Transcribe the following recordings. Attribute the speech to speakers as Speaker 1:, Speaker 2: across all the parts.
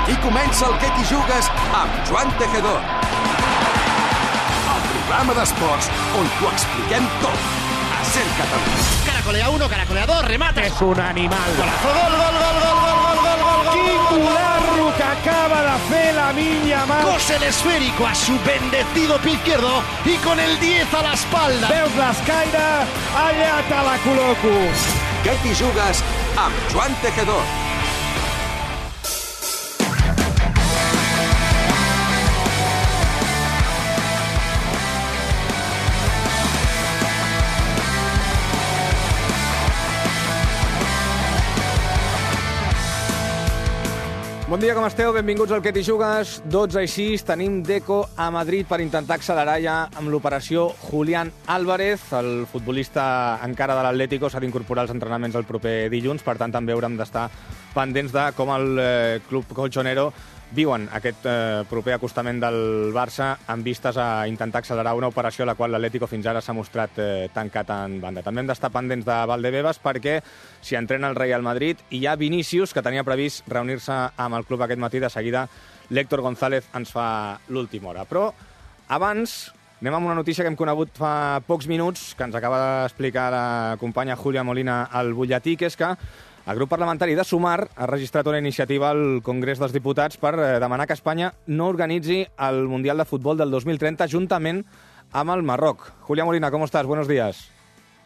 Speaker 1: Aquí comença el Que t'hi jugues amb Joan Tejedor. El programa d'esports on t'ho expliquem tot. A Ser Catalunya.
Speaker 2: Caracolea 1, caracolea 2, remata.
Speaker 3: És un animal.
Speaker 2: Golazo, gol, gol, gol, gol, gol, gol, gol, gol, gol.
Speaker 3: Quin golazo que acaba de fer Lamine Yamal.
Speaker 2: Cose el esférico a su bendecido pie izquierdo y con el 10 a la espalda.
Speaker 3: Veus l'escaire? Allà te la col·loco.
Speaker 1: Que t'hi jugues amb Joan Tejedor.
Speaker 4: Bon dia, com esteu? Benvinguts al Que t'hi jugues. 12:06, tenim Deco a Madrid per intentar accelerar ja amb l'operació Julián Álvarez. El futbolista encara de l'Atlético s'ha d'incorporar als entrenaments el proper dilluns, per tant també haurem d'estar pendents de com el club colchonero viuen aquest proper acostament del Barça amb vistes a intentar accelerar una operació a la qual l'Atlético fins ara s'ha mostrat tancat en banda. També hem d'estar pendents de Valdebebas perquè s'hi entrena el Real Madrid i hi ha Vinícius, que tenia previst reunir-se amb el club aquest matí. De seguida l'Héctor González ens fa l'última hora. Però abans anem amb una notícia que hem conegut fa pocs minuts, que ens acaba d'explicar la companya Júlia Molina al butlletí, que és que el grup parlamentari de Sumar ha registrat una iniciativa al Congrés dels Diputats per demanar que Espanya no organitzi el Mundial de Futbol del 2030 juntament amb el Marroc. Julia Molina, ¿cómo estás? Buenos días.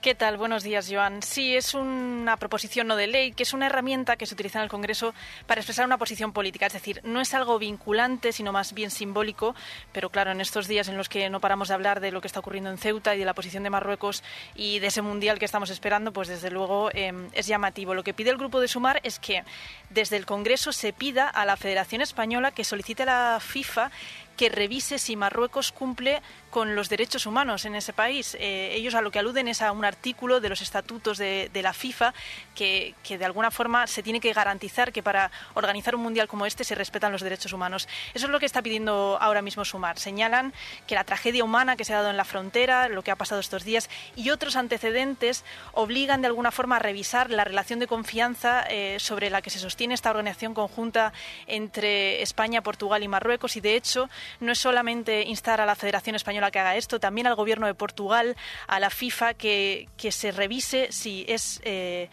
Speaker 5: ¿Qué tal? Buenos días, Joan. Sí, es una proposición no de ley, que es una herramienta que se utiliza en el Congreso para expresar una posición política. Es decir, no es algo vinculante, sino más bien simbólico, pero claro, en estos días en los que no paramos de hablar de lo que está ocurriendo en Ceuta y de la posición de Marruecos y de ese Mundial que estamos esperando, pues desde luego es llamativo. Lo que pide el Grupo de Sumar es que desde el Congreso se pida a la Federación Española que solicite a la FIFA que revise si Marruecos cumple con los derechos humanos en ese país. Ellos a lo que aluden es a un artículo de los estatutos de la FIFA que de alguna forma se tiene que garantizar que para organizar un mundial como este se respetan los derechos humanos. Eso es lo que está pidiendo ahora mismo Sumar. Señalan que la tragedia humana que se ha dado en la frontera, lo que ha pasado estos días y otros antecedentes obligan de alguna forma a revisar la relación de confianza sobre la que se sostiene esta organización conjunta entre España, Portugal y Marruecos, y de hecho no es solamente instar a la Federación Española que haga esto, también al Gobierno de Portugal, a la FIFA, que se revise si es de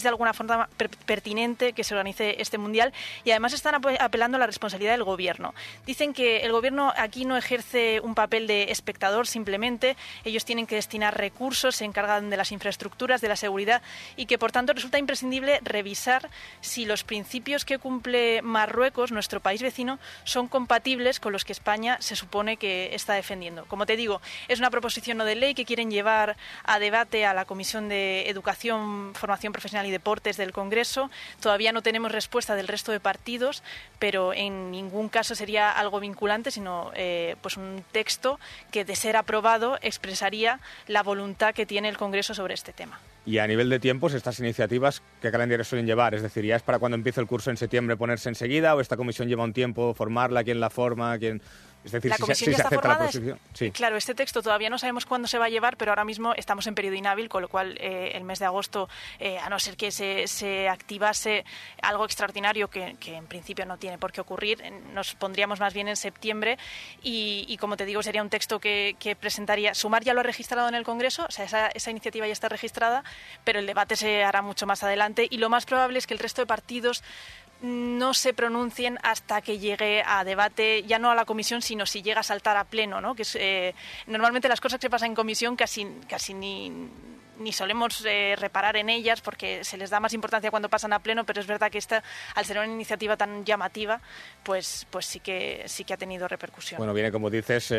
Speaker 5: alguna forma pertinente que se organice este Mundial. Y además están apelando a la responsabilidad del Gobierno. Dicen que el Gobierno aquí no ejerce un papel de espectador simplemente, ellos tienen que destinar recursos, se encargan de las infraestructuras, de la seguridad, y que por tanto resulta imprescindible revisar si los principios que cumple Marruecos, nuestro país vecino, son compatibles con los que España se supone que está defendiendo. Como te digo, es una proposición no de ley que quieren llevar a debate a la Comisión de Educación, Formación Profesional y Deportes del Congreso. Todavía no tenemos respuesta del resto de partidos, pero en ningún caso sería algo vinculante, sino pues un texto que, de ser aprobado, expresaría la voluntad que tiene el Congreso sobre este tema.
Speaker 4: Y a nivel de tiempos, estas iniciativas, ¿qué calendario suelen llevar? Es decir, ¿ya es para cuando empiece el curso en septiembre ponerse enseguida o esta comisión lleva un tiempo formarla? ¿Quién la forma? ¿Quién...? Es decir,
Speaker 5: la comisión ya está formada.
Speaker 4: Sí.
Speaker 5: Claro, este texto todavía no sabemos cuándo se va a llevar, pero ahora mismo estamos en periodo inhábil, con lo cual el mes de agosto, a no ser que se activase algo extraordinario que en principio no tiene por qué ocurrir, nos pondríamos más bien en septiembre y como te digo, sería un texto que presentaría. Sumar ya lo ha registrado en el Congreso, o sea, esa iniciativa ya está registrada, pero el debate se hará mucho más adelante y lo más probable es que el resto de partidos no se pronuncien hasta que llegue a debate, ya no a la comisión, sino si llega a saltar a pleno, ¿no? Que es, normalmente las cosas que pasan en comisión casi ni solemos reparar en ellas porque se les da más importancia cuando pasan a pleno, pero es verdad que esta, al ser una iniciativa tan llamativa, pues sí que ha tenido repercusión.
Speaker 4: Bueno, viene, como dices,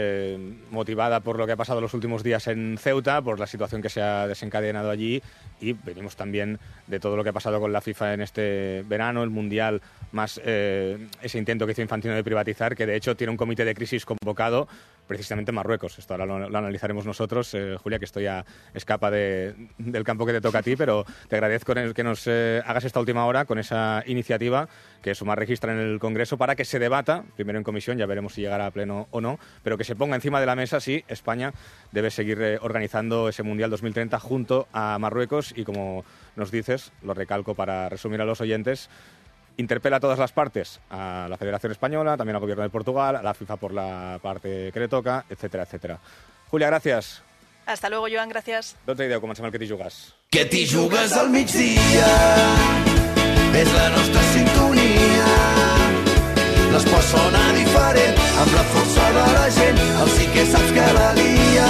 Speaker 4: motivada por lo que ha pasado los últimos días en Ceuta, por la situación que se ha desencadenado allí, y venimos también de todo lo que ha pasado con la FIFA en este verano, el Mundial, más ese intento que hizo Infantino de privatizar, que de hecho tiene un comité de crisis convocado precisamente en Marruecos. Esto ahora lo analizaremos nosotros. Julia, que esto ya escapa del campo que te toca a ti, pero te agradezco que nos hagas esta última hora con esa iniciativa que Sumar registra en el Congreso para que se debata, primero en comisión, ya veremos si llegará a pleno o no, pero que se ponga encima de la mesa si España debe seguir organizando ese Mundial 2030 junto a Marruecos y, como nos dices, lo recalco para resumir a los oyentes, interpela a todas las partes, a la Federación Española, también al Gobierno de Portugal, a la FIFA por la parte que le toca, etcétera, etcétera. Julia, gràcies.
Speaker 5: Hasta luego, Joan, gràcies.
Speaker 4: 12:10, comencem el Que t'hi jugues.
Speaker 6: Que t'hi jugues al migdia, és la nostra sintonia. L'esport sona diferent, amb la força de la gent, el sí que saps que la lia.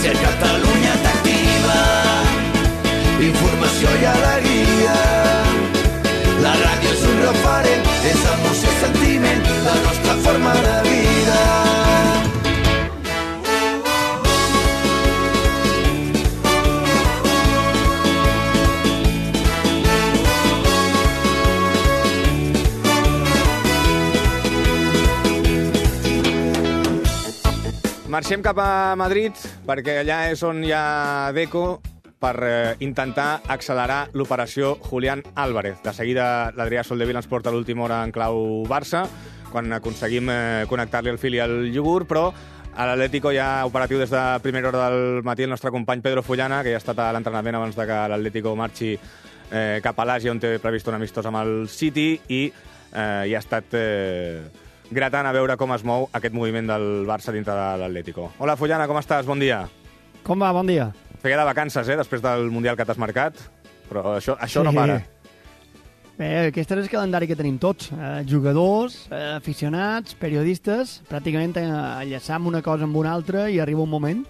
Speaker 6: Ser Catalunya t'activa, informació i alegria. La ràdio és un referent, és emoció i sentiment, la nostra forma de vida.
Speaker 4: Marxem cap a Madrid, perquè allà és on hi ha Deco per intentar accelerar l'operació Julián Álvarez. De seguida l'Adrià Soldevila ens porta l'última hora en clau Barça, quan aconseguim connectar-li el fil i el iogurt, però a l'Atlético ja operatiu des de primera hora del matí el nostre company Pedro Fullana, que ja ha estat a l'entrenament abans de que l'Atlético marxi cap a l'Àsia, on té previst un amistós amb el City, i ja ha estat gratant a veure com es mou aquest moviment del Barça dintre de l'Atlético. Hola, Fullana, com estàs? Bon dia.
Speaker 7: Com va? Bon dia.
Speaker 4: Feia de vacances, després del Mundial que t'has marcat, però això no para.
Speaker 7: Bé, aquest és el calendari que tenim tots. Jugadors, aficionats, periodistes, pràcticament enllaçam una cosa amb una altra i arriba un moment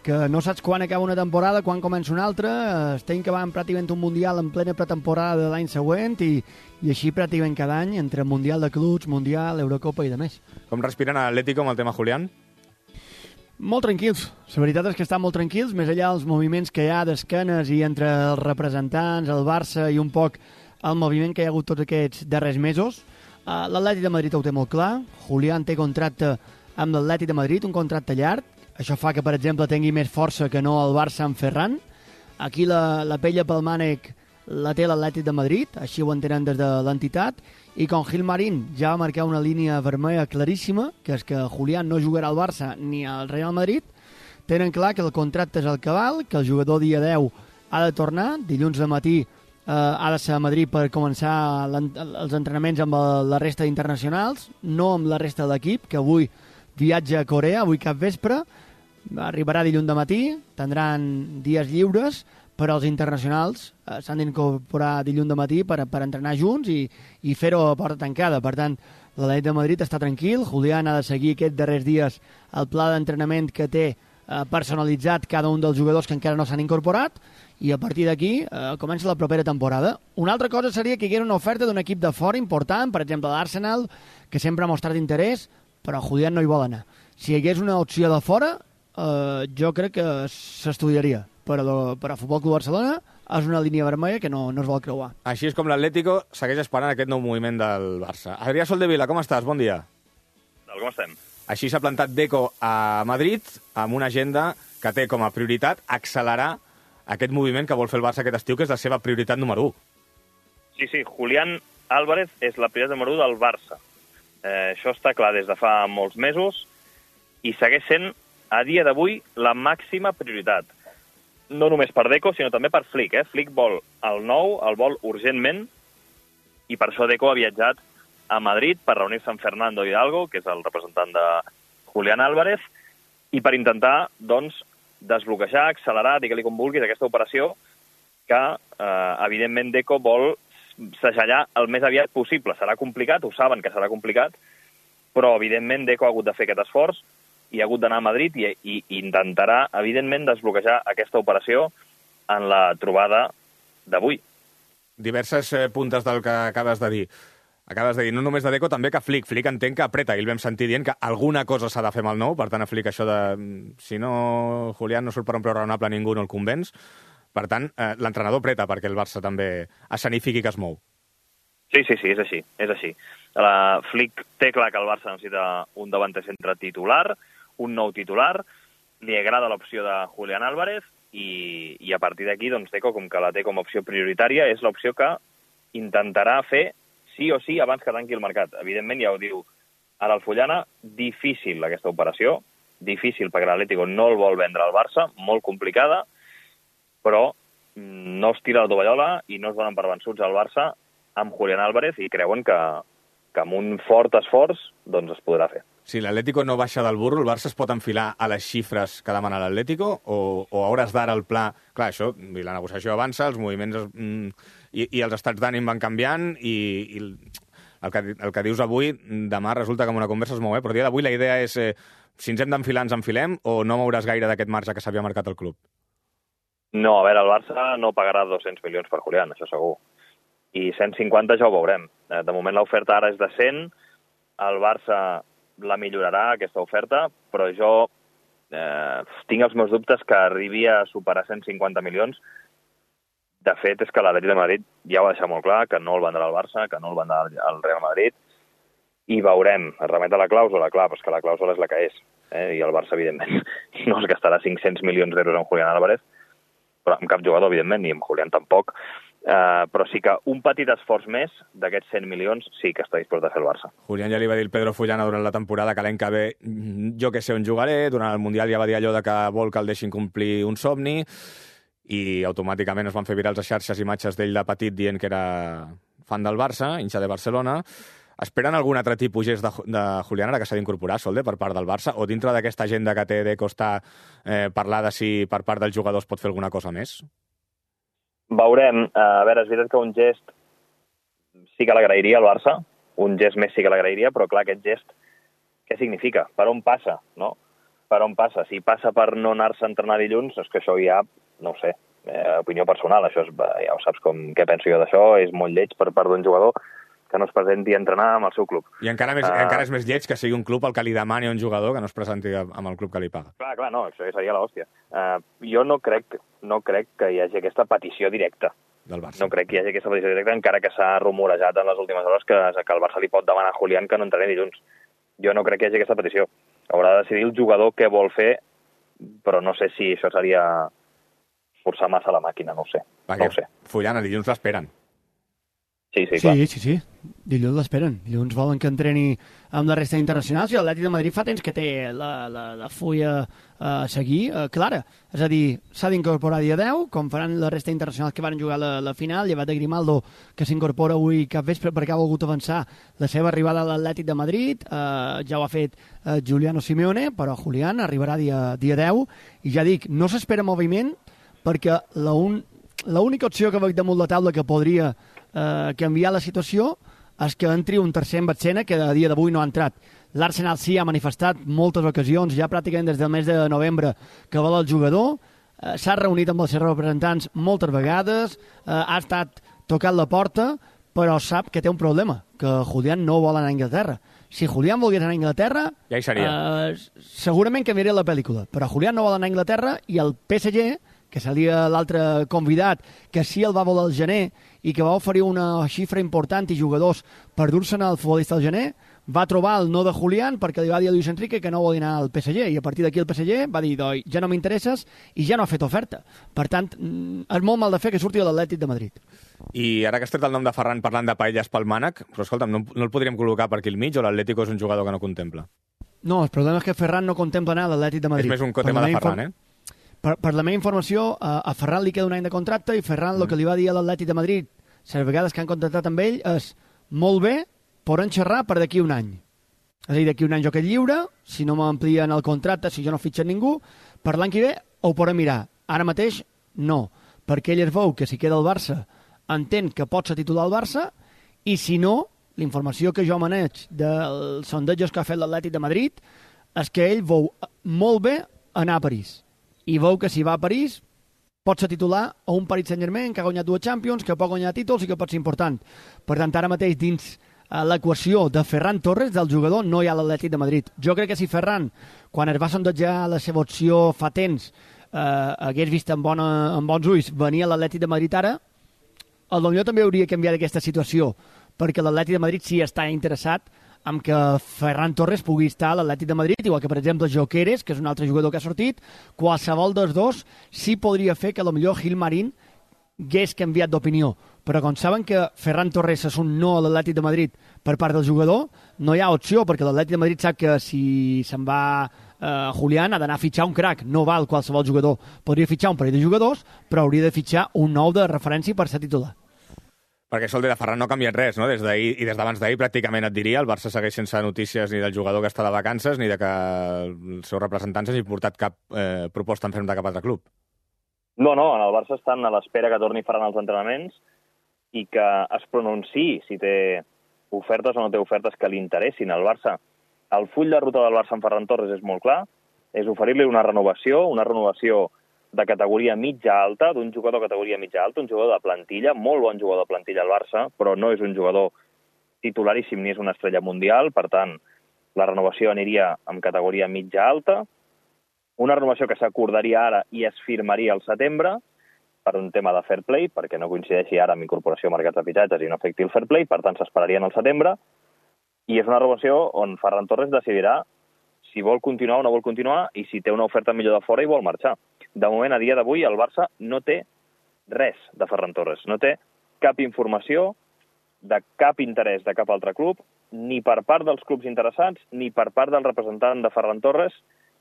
Speaker 7: que no saps quan acaba una temporada, quan comença una altra, estem acabant pràcticament un Mundial en plena pretemporada de l'any següent i així pràcticament cada any, entre Mundial de Clubs, Mundial, Eurocopa i de més.
Speaker 4: Com respiren a l'Atlético amb el tema Julián?
Speaker 7: Molt tranquils. La veritat és que estan molt tranquils, més enllà dels moviments que hi ha d'esquenes i entre els representants, el Barça i un poc el moviment que hi ha hagut tots aquests darrers mesos. L'Atlètic de Madrid ho té molt clar. Julián té contracte amb l'Atlètic de Madrid, un contracte llarg. Això fa que, per exemple, tingui més força que no el Barça amb Ferran. Aquí la pella pel mànec la té l'Atlètic de Madrid, així ho entenen des de l'entitat, i com Gilmarín ja va marcar una línia vermella claríssima, que és que Julián no jugarà al Barça ni al Real Madrid, tenen clar que el contracte és el que val, que el jugador dia 10 ha de tornar, dilluns de matí ha de ser a Madrid per començar els entrenaments amb la resta d'internacionals, no amb la resta de l'equip, que avui viatja a Corea, avui cap vespre, arribarà dilluns de matí, tindran dies lliures, però els internacionals s'han d'incorporar dilluns de matí per entrenar junts i fer-ho a porta tancada. Per tant, l'Atlètic de Madrid està tranquil, Julián ha de seguir aquests darrers dies el pla d'entrenament que té personalitzat cada un dels jugadors que encara no s'han incorporat, i a partir d'aquí comença la propera temporada. Una altra cosa seria que hi hagués una oferta d'un equip de fora important, per exemple l'Arsenal, que sempre ha mostrat interès, però Julián no hi vol anar. Si hi hagués una opció de fora, jo crec que s'estudiaria, però a Futbol Club Barcelona és una línia vermella que no es vol creuar.
Speaker 4: Així és com l'Atlético segueix esperant aquest nou moviment del Barça. Adrià Soldevila, com estàs? Bon dia.
Speaker 8: Com estem?
Speaker 4: Així s'ha plantat Deco a Madrid amb una agenda que té com a prioritat accelerar aquest moviment que vol fer el Barça aquest estiu, que és la seva prioritat número 1.
Speaker 8: Sí, Julián Álvarez és la prioritat número 1 del Barça. Això està clar des de fa molts mesos i segueix sent, a dia d'avui, la màxima prioritat. No només per Deco, sinó també per Flick. Flick vol el nou, el vol urgentment, i per això Deco ha viatjat a Madrid per reunir-se amb Fernando Hidalgo, que és el representant de Julián Álvarez, i per intentar, doncs, desbloquejar, accelerar, digue-li com vulguis, aquesta operació que, evidentment, Deco vol segellar el més aviat possible. Serà complicat, ho saben que serà complicat, però, evidentment, Deco ha hagut de fer aquest esforç i ha hagut d'anar a Madrid i intentarà, evidentment, desbloquejar aquesta operació en la trobada d'avui.
Speaker 4: Diverses puntes del que acabes de dir. Acabes de dir, no només de Deco, també que Flick. Flick entenc que apreta, i el vam sentir dient que alguna cosa s'ha de fer amb el nou, per tant, a Flick això de... Si no, Julián no surt per un preu raonable, ningú no el convenç. Per tant, l'entrenador apreta perquè el Barça també escenifiqui que es mou.
Speaker 8: Sí, és així. Flick té clar que el Barça necessita un davanter centre titular, un nou titular, li agrada l'opció de Julián Álvarez i a partir d'aquí, doncs, Deco, com que la té com a opció prioritària, és l'opció que intentarà fer sí o sí abans que tanqui el mercat. Evidentment, ja ho diu ara el Fullana, difícil aquesta operació, difícil perquè l'Atlético no el vol vendre al Barça, molt complicada, però no es tira la tovallola i no es donen per vençuts al Barça amb Julián Álvarez i creuen que amb un fort esforç doncs es podrà fer.
Speaker 4: Si l'Atlético no baixa del burro, el Barça es pot enfilar a les xifres que demana l'Atlético o a hores d'ara el pla... Clar, això, la negociació avança, els moviments i els estats d'ànim van canviant i el que dius avui, demà resulta que amb una conversa es mou, però a dia d'avui la idea és si ens hem d'enfilar, ens enfilem o no mouràs gaire d'aquest marge que s'havia marcat el club?
Speaker 8: No, a veure, el Barça no pagarà 200 milions per Julián, això segur. I 150 ja ho veurem. De moment l'oferta ara és de 100, el Barça la millorarà, aquesta oferta, però jo tinc els meus dubtes que arribi a superar 150 milions. De fet, és que l'Atlètic de Madrid ja ho ha deixat molt clar, que no el vendrà al Barça, que no el vendrà al Real Madrid, i veurem, es remet a la clàusula, clar, però és que la clàusula és la que és, i el Barça, evidentment, no es gastarà 500 milions d'euros en Julián Álvarez, però amb cap jugador, evidentment, ni amb Julián tampoc, però sí que un petit esforç més d'aquests 100 milions sí que està disposat a fer el Barça.
Speaker 4: Julián ja li va dir el Pedro Fullana durant la temporada que l'any que ve jo que sé on jugaré, durant el Mundial ja va dir allò de que vol que el deixin complir un somni i automàticament es van fer virals a xarxes imatges d'ell de petit dient que era fan del Barça, hincha de Barcelona. Esperen algun altre tipus gest de Julián ara que s'ha d'incorporar, Solde, per part del Barça, o dintre d'aquesta agenda que té de costar parlar de si per part dels jugadors pot fer alguna cosa més?
Speaker 8: Veurem. A veure, és veritat que un gest sí que l'agrairia al Barça, un gest més sí que l'agrairia, però clar, aquest gest, què significa? Per on passa, no? Per on passa? Si passa per no anar-se a entrenar dilluns, és que això ja, no ho sé, opinió personal, això és, ja ho saps què penso jo d'això, és molt lleig per part d'un jugador que no es presenti a entrenar amb el seu club.
Speaker 4: I encara és més lleig que sigui un club el que li demani a un jugador que no es presenti amb el club que li paga.
Speaker 8: Clar, no, això seria l'hòstia. Jo no crec que hi hagi aquesta petició directa
Speaker 4: del Barça.
Speaker 8: No crec que hi hagi aquesta petició directa, encara que s'ha rumorejat en les últimes hores que el Barça li pot demanar a Julián que no entreni dilluns. Jo no crec que hi hagi aquesta petició. Haurà de decidir el jugador què vol fer, però no sé si això seria forçar massa la màquina, no ho sé.
Speaker 4: No ho sé. Fullana, dilluns l'esperen.
Speaker 8: Sí, clar.
Speaker 7: Sí. Dilluns l'esperen. Dilluns volen que entreni amb la resta internacionals i l'Atlètic de Madrid fa temps que té la fulla a seguir clara. És a dir, s'ha d'incorporar dia 10, com faran la resta internacionals que van jugar la final, llevat de Grimaldo, que s'incorpora avui cap vespre perquè ha volgut avançar la seva arribada a l'Atlètic de Madrid. Ja ho ha fet Giuliano Simeone, però Julián arribarà dia 10. I ja dic, no s'espera moviment perquè l'única opció que veig damunt la taula que podria canviar la situació és que entri un tercer en escena que a dia d'avui no ha entrat. L'Arsenal sí ha manifestat moltes ocasions, ja pràcticament des del mes de novembre, que vol el jugador, s'ha reunit amb els seus representants moltes vegades, ha estat tocant la porta, però sap que té un problema, que Julián no vol anar a Anglaterra. Si Julián volgués anar a Anglaterra,
Speaker 4: ja hi seria.
Speaker 7: Segurament canviaria la pel·lícula, però Julián no vol anar a Anglaterra i el PSG, que seria l'altre convidat, que sí el va voler al gener i que va oferir una xifra important i jugadors per dur-se'n al futbolista al gener, va trobar el no de Julián perquè li va dir a Luis Enrique que no vol anar al PSG i a partir d'aquí el PSG va dir ja no m'interesses i ja no ha fet oferta. Per tant, és molt mal de fer que surti de l'Atlètic de Madrid.
Speaker 4: I ara que has tret el nom de Ferran parlant de paelles pel mànec, però escolta'm, no el podríem col·locar per aquí al mig o l'Atlético és un jugador que no contempla?
Speaker 7: No, el problema és que Ferran no contempla anar a l'Atlètic de Madrid.
Speaker 4: És més un tema de Ferran,
Speaker 7: Per la meva informació, a Ferran li queda un any de contracte i Ferran el que li va dir a l'Atlètic de Madrid, les vegades que han contractat amb ell, és molt bé, podem xerrar per d'aquí un any. És a dir, d'aquí un any jo quedo lliure, si no m'amplien el contracte, si jo no fitxen ningú, per l'any que ve ho podem mirar. Ara mateix, no, perquè ell es veu que si queda al Barça entén que pot ser titular al Barça i si no, l'informació que jo maneig dels sondejos que ha fet l'Atlètic de Madrid és que ell veu molt bé anar a París. I veu que si va a París pot ser titular a un Paris Saint-Germain que ha guanyat 2 Champions, que pot guanyar títols i que pot ser important. Per tant, ara mateix dins l'equació de Ferran Torres, del jugador, no hi ha l'Atlètic de Madrid. Jo crec que si Ferran, quan es va sondejar la seva opció fa temps, hagués vist amb bons ulls venir a l'Atlètic de Madrid ara, potser també hauria canviat aquesta situació, perquè l'Atlètic de Madrid sí està interessat amb que Ferran Torres pugui estar a l'Atlètic de Madrid, igual que, per exemple, Jokeres, que és un altre jugador que ha sortit, qualsevol dels dos sí podria fer que potser Gil Marín hagués canviat d'opinió. Però com saben que Ferran Torres és un no a l'Atlètic de Madrid per part del jugador, no hi ha opció, perquè l'Atlètic de Madrid sap que si se'n va Julián ha d'anar a fitxar un crac, no val qualsevol jugador. Podria fitxar un parell de jugadors, però hauria de fitxar un nou de referència per ser titular.
Speaker 4: Perquè Sol de Ferran no ha canviat res, no? Des d'ahir i des d'abans d'ahir pràcticament et diria, el Barça segueix sense notícies ni del jugador que està de vacances ni de que els seus representants hagin portat cap proposta en ferm de cap altre club.
Speaker 8: No, en el Barça estan a l'espera que torni Ferran als entrenaments i que es pronunciï si té ofertes o no té ofertes que li interessin al Barça. El full de ruta del Barça amb Ferran Torres és molt clar, és oferir-li una renovació de categoria mitja-alta, d'un jugador de categoria mitja-alta, un jugador de plantilla, molt bon jugador de plantilla al Barça, però no és un jugador titularíssim ni és una estrella mundial, per tant, la renovació aniria amb categoria mitja-alta, una renovació que s'acordaria ara i es firmaria al setembre, per un tema de fair play, perquè no coincideixi ara amb incorporació a mercats de fitxatges i no afecti el fair play, per tant s'esperaria al setembre, i és una renovació on Ferran Torres decidirà si vol continuar o no vol continuar i si té una oferta millor de fora i vol marxar. De moment, a dia d'avui, el Barça no té res de Ferran Torres, no té cap informació de cap interès de cap altre club, ni per part dels clubs interessats, ni per part del representant de Ferran Torres,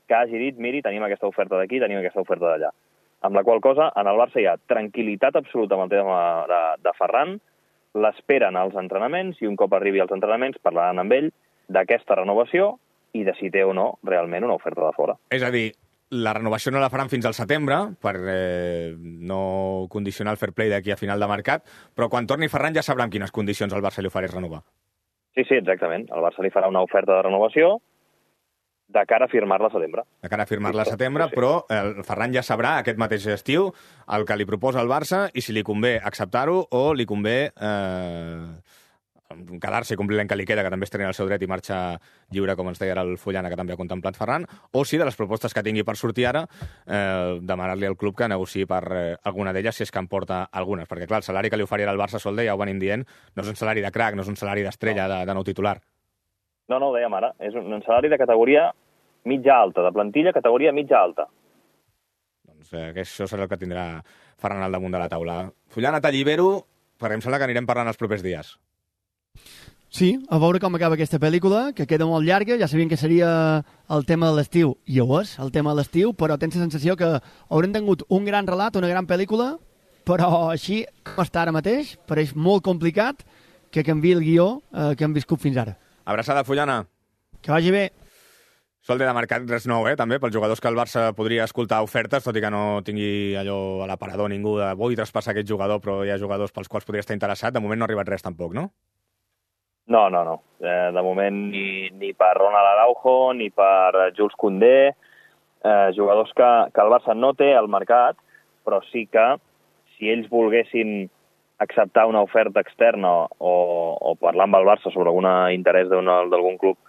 Speaker 8: que hagi dit, miri, tenim aquesta oferta d'aquí, tenim aquesta oferta d'allà. Amb la qual cosa, en el Barça hi ha tranquil·litat absoluta amb el tema de Ferran, l'esperen als entrenaments i un cop arribi als entrenaments parlaran amb ell d'aquesta renovació i de si té o no realment una oferta de fora.
Speaker 4: És a dir, la renovació no la faran fins al setembre per no condicionar el fair play d'aquí a final de mercat, però quan torni Ferran ja sabrà en quines condicions el Barça li ofereix renovar.
Speaker 8: Sí, exactament. El Barça li farà una oferta de renovació de cara a firmar-la a setembre.
Speaker 4: De cara a firmar-la a setembre, sí. Però el Ferran ja sabrà aquest mateix estiu el que li proposa el Barça i si li convé acceptar-ho o li convé quedar-se i complir l'any que li queda, que també es tenia el seu dret i marxa lliure, com ens deia el Fullana, que també ha contemplat Ferran, o si de les propostes que tingui per sortir ara, demanar-li al club que negociï per alguna d'elles, si és que en porta algunes. Perquè, clar, el salari que li oferirà el Barça, Solde, ja ho venim dient, no és un salari de crack, no és un salari d'estrella, de nou titular.
Speaker 8: No, ho dèiem ara. És un salari de categoria mitja-alta, de plantilla categoria mitja-alta.
Speaker 4: Doncs això serà el que tindrà Ferran al damunt de la taula. Fullana, t'allibero, perquè em sembla que anirem parlant els propers dies.
Speaker 7: Sí, a veure com acaba aquesta pel·lícula, que queda molt llarga, ja sabien que seria el tema de l'estiu, i ho és, el tema de l'estiu, però tens la sensació que haurem tingut un gran relat, una gran pel·lícula, però així com està ara mateix, pareix molt complicat que canviï el guió que hem viscut fins ara.
Speaker 4: Abraçada, Fullana.
Speaker 7: Que vagi bé.
Speaker 4: Solde de mercat, res nou, també, pels jugadors que el Barça podria escoltar ofertes, tot i que no tingui allò a l'aparador ningú de vull traspassar aquest jugador, però hi ha jugadors pels quals podria estar interessat. De moment no ha arribat res tampoc, no?
Speaker 8: No. De moment ni per Ronald Araujo, ni per Jules Koundé, jugadors que el Barça no té al mercat, però sí que si ells volguessin acceptar una oferta externa o parlar amb el Barça sobre algun interès d'algun club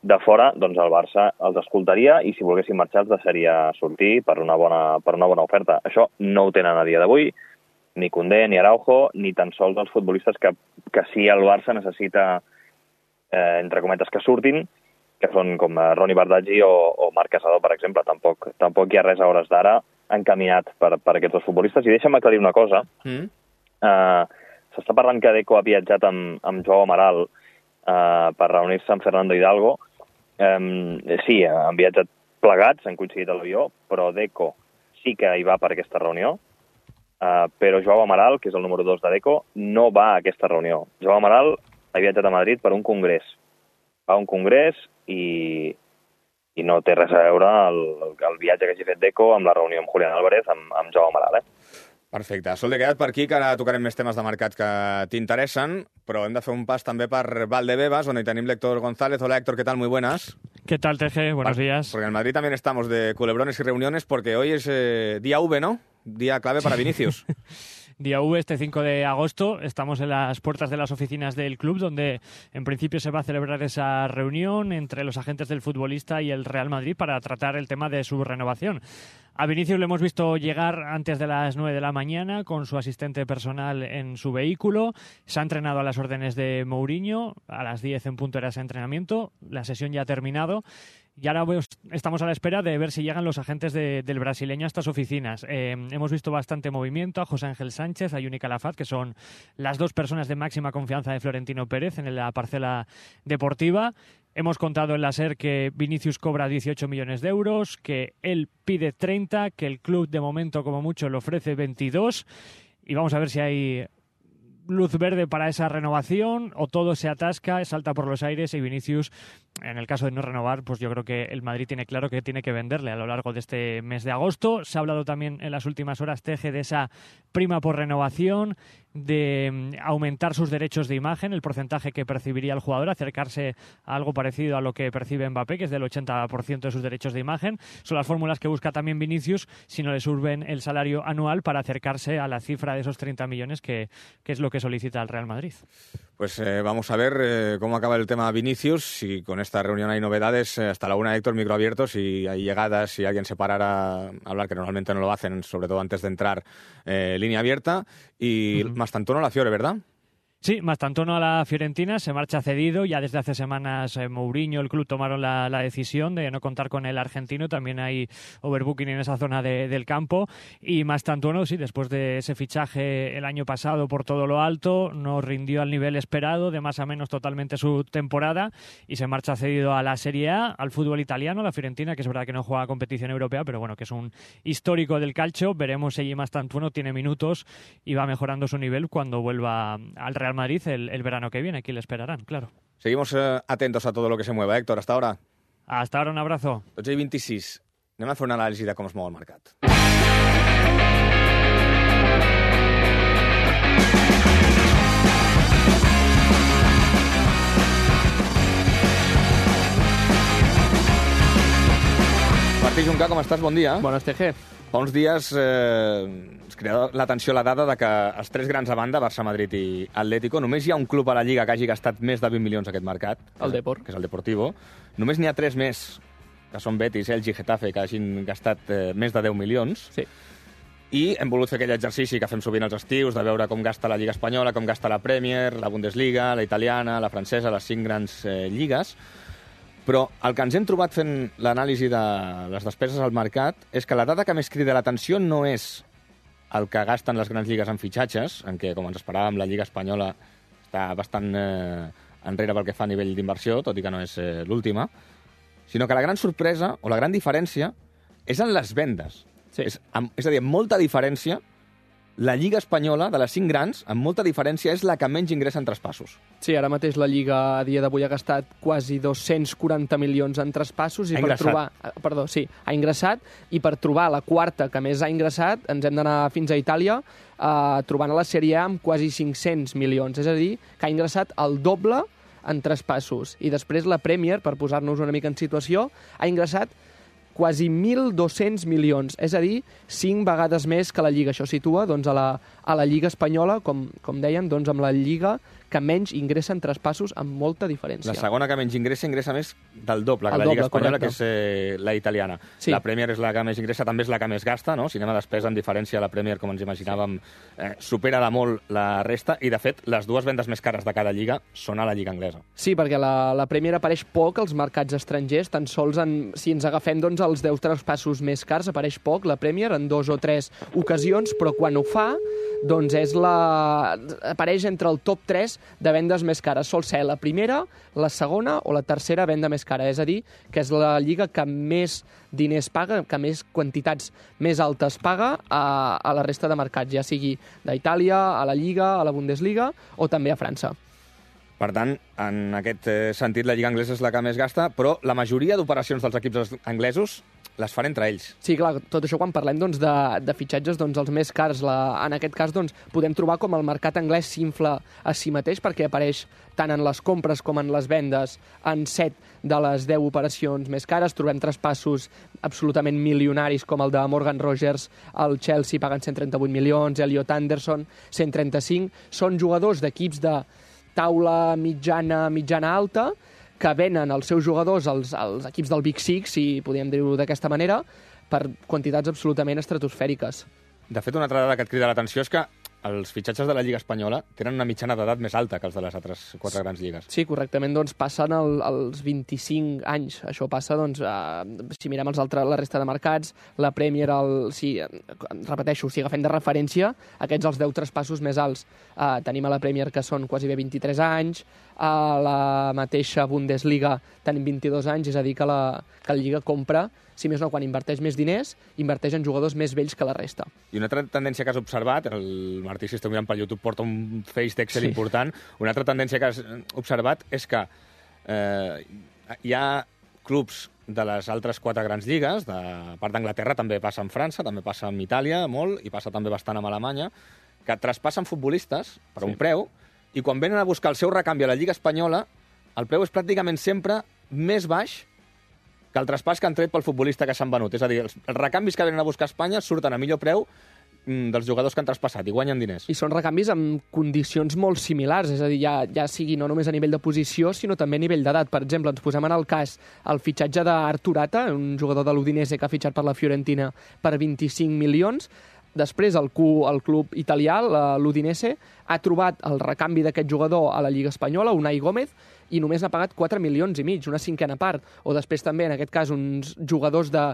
Speaker 8: de fora, doncs el Barça els escoltaria i si volguessin marxar els deixaria sortir per una bona oferta. Això no ho tenen a dia d'avui, ni Koundé, ni Araujo, ni tan sols els futbolistes que sí el Barça necessita, entre cometes, que surtin, que són com Ronny Bardghji o Marc Casador, per exemple. Tampoc hi ha res a hores d'ara encaminat per aquests dos futbolistes. I deixa'm aclarir una cosa. S'està parlant que Deco ha viatjat amb Joao Amaral per reunir-se amb Fernando Hidalgo. Sí, han viatjat plegats, han coincidit a l'avió, però Deco sí que hi va per aquesta reunió, però Joao Amaral, que és el número 2 de Deco, no va a aquesta reunió. Joao Amaral ha viatjat a Madrid per un congrés. Va a un congrés i no té res a veure el viatge que hagi fet Deco amb la reunió amb Julián Álvarez, amb Joao Amaral,
Speaker 4: Perfecte. Solde, queda't per aquí, que ara tocarem més temes de mercat que t'interessen, però hem de fer un pas també per Valdebebas, on hi tenim l'Héctor González. Hola, Héctor, ¿qué tal? Muy buenas.
Speaker 9: ¿Qué tal, TG? Buenos días.
Speaker 4: Porque en Madrid también estamos de culebrones y reuniones, porque hoy es día V, ¿no? Día clave para Vinicius.
Speaker 9: Día V, este 5 de agosto, estamos en las puertas de las oficinas del club, donde en principio se va a celebrar esa reunión entre los agentes del futbolista y el Real Madrid para tratar el tema de su renovación. A Vinicius lo hemos visto llegar antes de las 9 de la mañana con su asistente personal en su vehículo. Se ha entrenado a las órdenes de Mourinho. A las 10 en punto era ese entrenamiento. La sesión ya ha terminado. Y ahora estamos a la espera de ver si llegan los agentes del brasileño a estas oficinas. Hemos visto bastante movimiento a José Ángel Sánchez, a Yuni Calafat, que son las dos personas de máxima confianza de Florentino Pérez en la parcela deportiva. Hemos contado en la SER que Vinicius cobra 18 millones de euros, que él pide 30, que el club de momento como mucho le ofrece 22 y vamos a ver si hay luz verde para esa renovación o todo se atasca, salta por los aires y Vinicius, en el caso de no renovar, pues yo creo que el Madrid tiene claro que tiene que venderle a lo largo de este mes de agosto. Se ha hablado también en las últimas horas, Teje, de esa prima por renovación, de aumentar sus derechos de imagen, el porcentaje que percibiría el jugador, acercarse a algo parecido a lo que percibe Mbappé, que es del 80% de sus derechos de imagen. Son las fórmulas que busca también Vinicius, si no le suben el salario anual para acercarse a la cifra de esos 30 millones que es lo que solicita el Real Madrid.
Speaker 4: Pues vamos a ver cómo acaba el tema Vinicius, si con esta reunión hay novedades. Hasta la una, Héctor, micro abierto, si hay llegadas, si alguien se parara a hablar, que normalmente no lo hacen, sobre todo antes de entrar, línea abierta. Y Mastantuono a la Fiore, ¿verdad?
Speaker 9: Sí, Mastantuono a la Fiorentina, se marcha cedido. Ya desde hace semanas Mourinho, el club, tomaron la decisión de no contar con el argentino. También hay overbooking en esa zona del campo. Y Mastantuono, sí, después de ese fichaje el año pasado por todo lo alto, no rindió al nivel esperado, de más a menos totalmente su temporada, y se marcha cedido a la Serie A, al fútbol italiano, la Fiorentina, que es verdad que no juega competición europea, pero bueno, que es un histórico del calcio. Veremos si Mastantuono tiene minutos y va mejorando su nivel cuando vuelva al Real Madrid el verano que viene. Aquí le esperarán, claro.
Speaker 4: Seguimos atentos a todo lo que se mueva, Héctor. Hasta ahora.
Speaker 9: Hasta ahora, un abrazo.
Speaker 4: 12:26. Anem a fer una anàlisi de com es mou el mercat. Martí Juncà, com estàs? Bon dia.
Speaker 10: Bones, TG.
Speaker 4: Fa uns dies es crida l'atenció la dada de que els tres grans a banda, Barça, Madrid i Atlético, només hi ha un club a la Lliga que hagi gastat més de 20 milions aquest mercat,
Speaker 10: El Depor.
Speaker 4: que és el Deportivo. Només n'hi ha tres més, que són Betis, Elx i Getafe, que hagin gastat més de 10 milions.
Speaker 10: Sí.
Speaker 4: I hem volut fer aquell exercici que fem sovint als estius, de veure com gasta la Lliga Espanyola, com gasta la Premier, la Bundesliga, la italiana, la francesa, les 5 grans lligues. Però el que ens hem trobat fent l'anàlisi de les despeses al mercat és que la dada que més crida l'atenció no és el que gasten les grans lligues en fitxatges, en què, com ens esperàvem, la Lliga Espanyola està bastant enrere pel que fa a nivell d'inversió, tot i que no és l'última, sinó que la gran sorpresa o la gran diferència és en les vendes.
Speaker 10: Sí.
Speaker 4: És a dir, amb molta diferència, la Lliga Espanyola, de les 5 grans, amb molta diferència, és la que menys ingressa en traspassos.
Speaker 10: Sí, ara mateix la Lliga a dia d'avui ha gastat quasi 240 milions en traspassos i ha ingressat, i per trobar la quarta que més ha ingressat ens hem d'anar fins a Itàlia, trobant a la Serie A amb quasi 500 milions, és a dir, que ha ingressat el doble en traspassos. I després la Premier, per posar-nos una mica en situació, ha ingressat quasi 1.200 milions, és a dir, 5 vegades més que la Lliga. Això situa doncs, a la Lliga Espanyola, com dèiem, doncs, amb la Lliga que menys ingressa en traspassos amb molta diferència.
Speaker 4: La segona que menys ingressa més del doble que la Lliga Espanyola, correcte, que és la italiana. Sí. La Premier és la que més ingressa, també és la que més gasta, no? Si anem a despesa, en diferència, la Premier, com ens imaginàvem, supera de molt la resta, i de fet, les dues vendes més cares de cada lliga són a la Lliga anglesa.
Speaker 10: Sí, perquè la Premier apareix poc als mercats estrangers, tan sols si ens agafem doncs, els 10 traspassos més cars, apareix poc la Premier en 2 o 3 ocasions, però quan ho fa, doncs apareix entre el top 3 de vendes més cares. Sol ser la primera, la segona o la tercera venda més cara. És a dir, que és la lliga que més diners paga, que més quantitats més altes paga a la resta de mercats, ja sigui d'Itàlia, a la Lliga, a la Bundesliga o també a França.
Speaker 4: Per tant, en aquest sentit, la Lliga anglesa és la que més gasta, però la majoria d'operacions dels equips anglesos les fan entre ells.
Speaker 10: Sí, clar, tot això quan parlem doncs, de fitxatges, doncs, els més cars. En aquest cas doncs, podem trobar com el mercat anglès s'infla a si mateix, perquè apareix tant en les compres com en les vendes en 7 de les 10 operacions més cares. Trobem traspassos absolutament milionaris com el de Morgan Rogers al Chelsea, pagant 138 milions, Elliot Anderson, 135. Són jugadors d'equips de taula mitjana alta, que venen els seus jugadors als equips del Big Six, si podríem dir-ho d'aquesta manera, per quantitats absolutament estratosfèriques.
Speaker 4: De fet, una altra dada que et crida l'atenció és que els fitxatges de la Lliga Espanyola tenen una mitjana d'edat més alta que els de les altres 4 grans lligues.
Speaker 10: Sí, correctament, doncs passen els 25 anys. Això passa, doncs, si mirem la resta de mercats, la Premier, repeteixo, si agafem de referència, aquests els 10 traspassos més alts. Tenim a la Premier que són quasi bé 23 anys, a la mateixa Bundesliga tenim 22 anys, és a dir, que la Lliga compra, si més no, quan inverteix més diners, inverteix en jugadors més vells que la resta.
Speaker 4: I una altra tendència que has observat, el Martí, si esteu mirant per YouTube, porta un feix d'Excel important. Una altra tendència que has observat és que hi ha clubs de les altres 4 grans lligues, a part d'Anglaterra, també passa en França, també passa en Itàlia, molt, i passa també bastant amb Alemanya, que traspassen futbolistes per un preu, i quan venen a buscar el seu recanvi a la Lliga Espanyola, el preu és pràcticament sempre més baix que el traspàs que han tret pel futbolista que s'han venut. És a dir, els recanvis que venen a buscar a Espanya surten a millor preu dels jugadors que han traspassat i guanyen diners.
Speaker 10: I són recanvis amb condicions molt similars, és a dir, ja sigui no només a nivell de posició, sinó també a nivell d'edat. Per exemple, ens posem en el cas el fitxatge d'Artur Ata, un jugador de l'Udinese que ha fitxat per la Fiorentina per 25 milions. Després el club italià, l'Udinese, ha trobat el recanvi d'aquest jugador a la Lliga Espanyola, Unai Gómez, i només n'ha pagat 4 milions i mig, una cinquena part. O després també, en aquest cas, uns jugadors de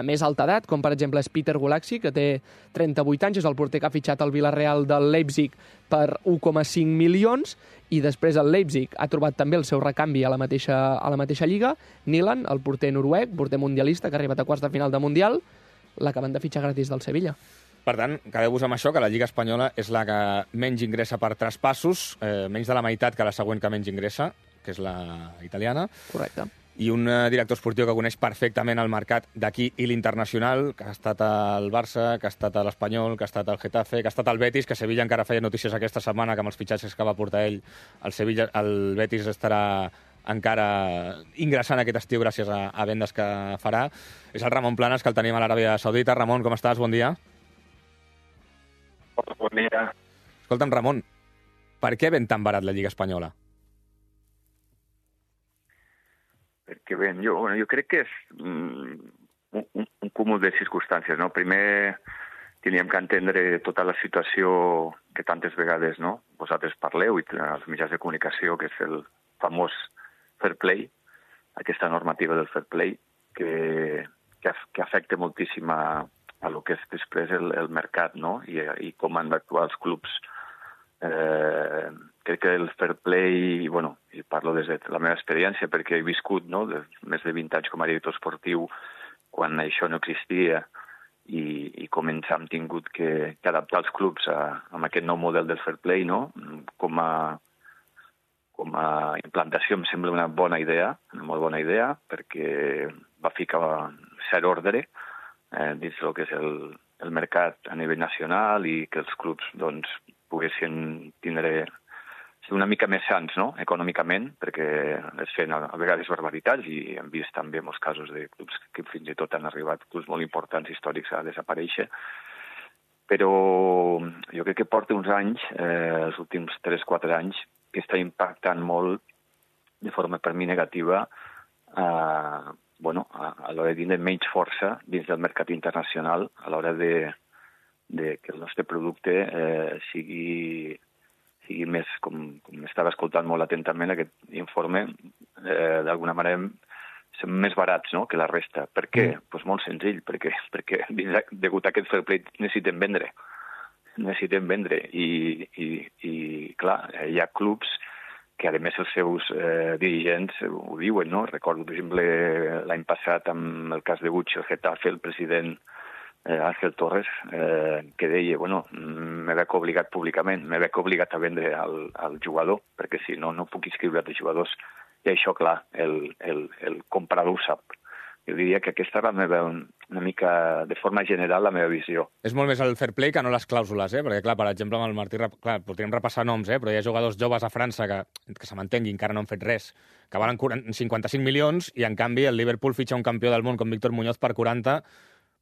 Speaker 10: més alta edat, com per exemple és Peter Gulaxi, que té 38 anys, és el porter que ha fitxat el Villarreal del Leipzig per 1,5 milions, i després el Leipzig ha trobat també el seu recanvi a la mateixa lliga. Nilan, el porter noruec, porter mundialista, que ha arribat a quarts de final de Mundial, l'acaben de fitxar gratis del Sevilla.
Speaker 4: Per tant, quedeu-vos amb això, que la Lliga Espanyola és la que menys ingressa per traspassos, menys de la meitat que la següent que menys ingressa, que és la italiana.
Speaker 10: Correcte.
Speaker 4: I un director esportiu que coneix perfectament el mercat d'aquí i l'internacional, que ha estat al Barça, que ha estat a l'Espanyol, que ha estat al Getafe, que ha estat al Betis, que Sevilla encara feia notícies aquesta setmana, que amb els fitxatges que va portar ell, el Betis estarà encara ingressant aquest estiu gràcies a vendes que farà. És el Ramon Planes, que el tenim a l'Aràbia Saudita. Ramon, com estàs? Bon dia.
Speaker 11: Bon dia.
Speaker 4: Escolta'm, Ramon, per què ven tan barat la Lliga Espanyola?
Speaker 11: Perquè ven, jo crec que és un cúmul de circumstàncies, no? Primer, teníem que entendre tota la situació que tantes vegades, no, vosaltres parleu, i els mitjans de comunicació, que és el famós fair play, aquesta normativa del fair play, que afecta moltíssim a lo que és després el mercat, no? I com han d'actuar els clubs. Crec que el fair play, i parlo des de la meva experiència, perquè he viscut més de 20 anys com a director esportiu quan això no existia, i com ens hem tingut que adaptar els clubs a aquest nou model del fair play, no? Com a implantació em sembla una bona idea, una molt bona idea, perquè va ficar cert ordre dins el que és el mercat a nivell nacional, i que els clubs poguessin ser una mica més sants, no?, econòmicament, perquè es feien a vegades barbaritats, i hem vist també molts casos de clubs que fins i tot han arribat, clubs molt importants històrics, a desaparèixer. Però jo crec que porta uns anys, els últims 3-4 anys, que està impactant molt de forma per mi negativa a l'hora de tindre menys força dins del mercat internacional, a l'hora de que el nostre producte sigui més, com estava escoltant molt atentament aquest informe, d'alguna manera som més barats, no?, que la resta. Per què? Doncs molt senzill, perquè degut a aquest fair play necessitem vendre. I clar, hi ha clubs que, a més, els seus dirigents ho diuen, no? Recordo, per exemple, l'any passat, amb el cas de Gucci, el Getafe, el president Ángel Torres, que deia, m'he veig obligat públicament, m'he veig obligat a vendre al jugador, perquè si no, no puc inscriure els jugadors. I això, clar, el comprador ho sap. Jo diria que aquesta és una mica, de forma general, la meva visió.
Speaker 4: És molt més el fair play que no les clàusules, perquè, clar, per exemple, amb el Martí, clar, podríem repassar noms, però hi ha jugadors joves a França que se m'entengui, encara no han fet res, que valen 55 milions, i en canvi el Liverpool fitxa un campió del món com Víctor Muñoz per 40,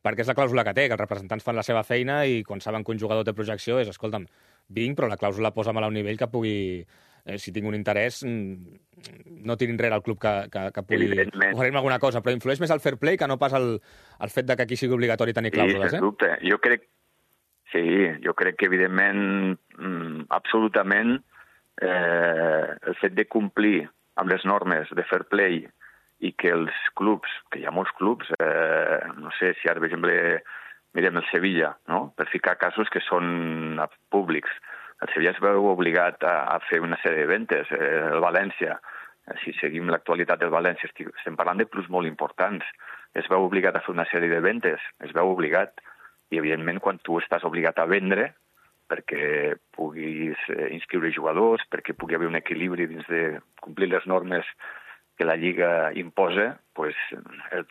Speaker 4: perquè és la clàusula que té, que els representants fan la seva feina, i quan saben que un jugador té projecció és, escolta'm, vinc, però la clàusula posa'm-la a un nivell que pugui... si tinc un interès, no tirin enrere el club que pugui oferir-me alguna cosa, però influeix més el fair play que no pas el fet que aquí sigui obligatori tenir clàusules.
Speaker 11: Sí, sense dubte. Jo crec que, evidentment, absolutament, el fet de complir amb les normes de fair play i que els clubs, que hi ha molts clubs, no sé si ara, per exemple, mirem el Sevilla, no?, per ficar casos que són públics. El Sevilla es veu obligat a fer una sèrie de ventes. El València, si seguim l'actualitat del València, estem parlant de clubs molt importants. Es veu obligat a fer una sèrie de ventes, es veu obligat. I, evidentment, quan tu estàs obligat a vendre, perquè puguis inscriure jugadors, perquè pugui haver un equilibri dins de complir les normes que la Lliga imposa, pues,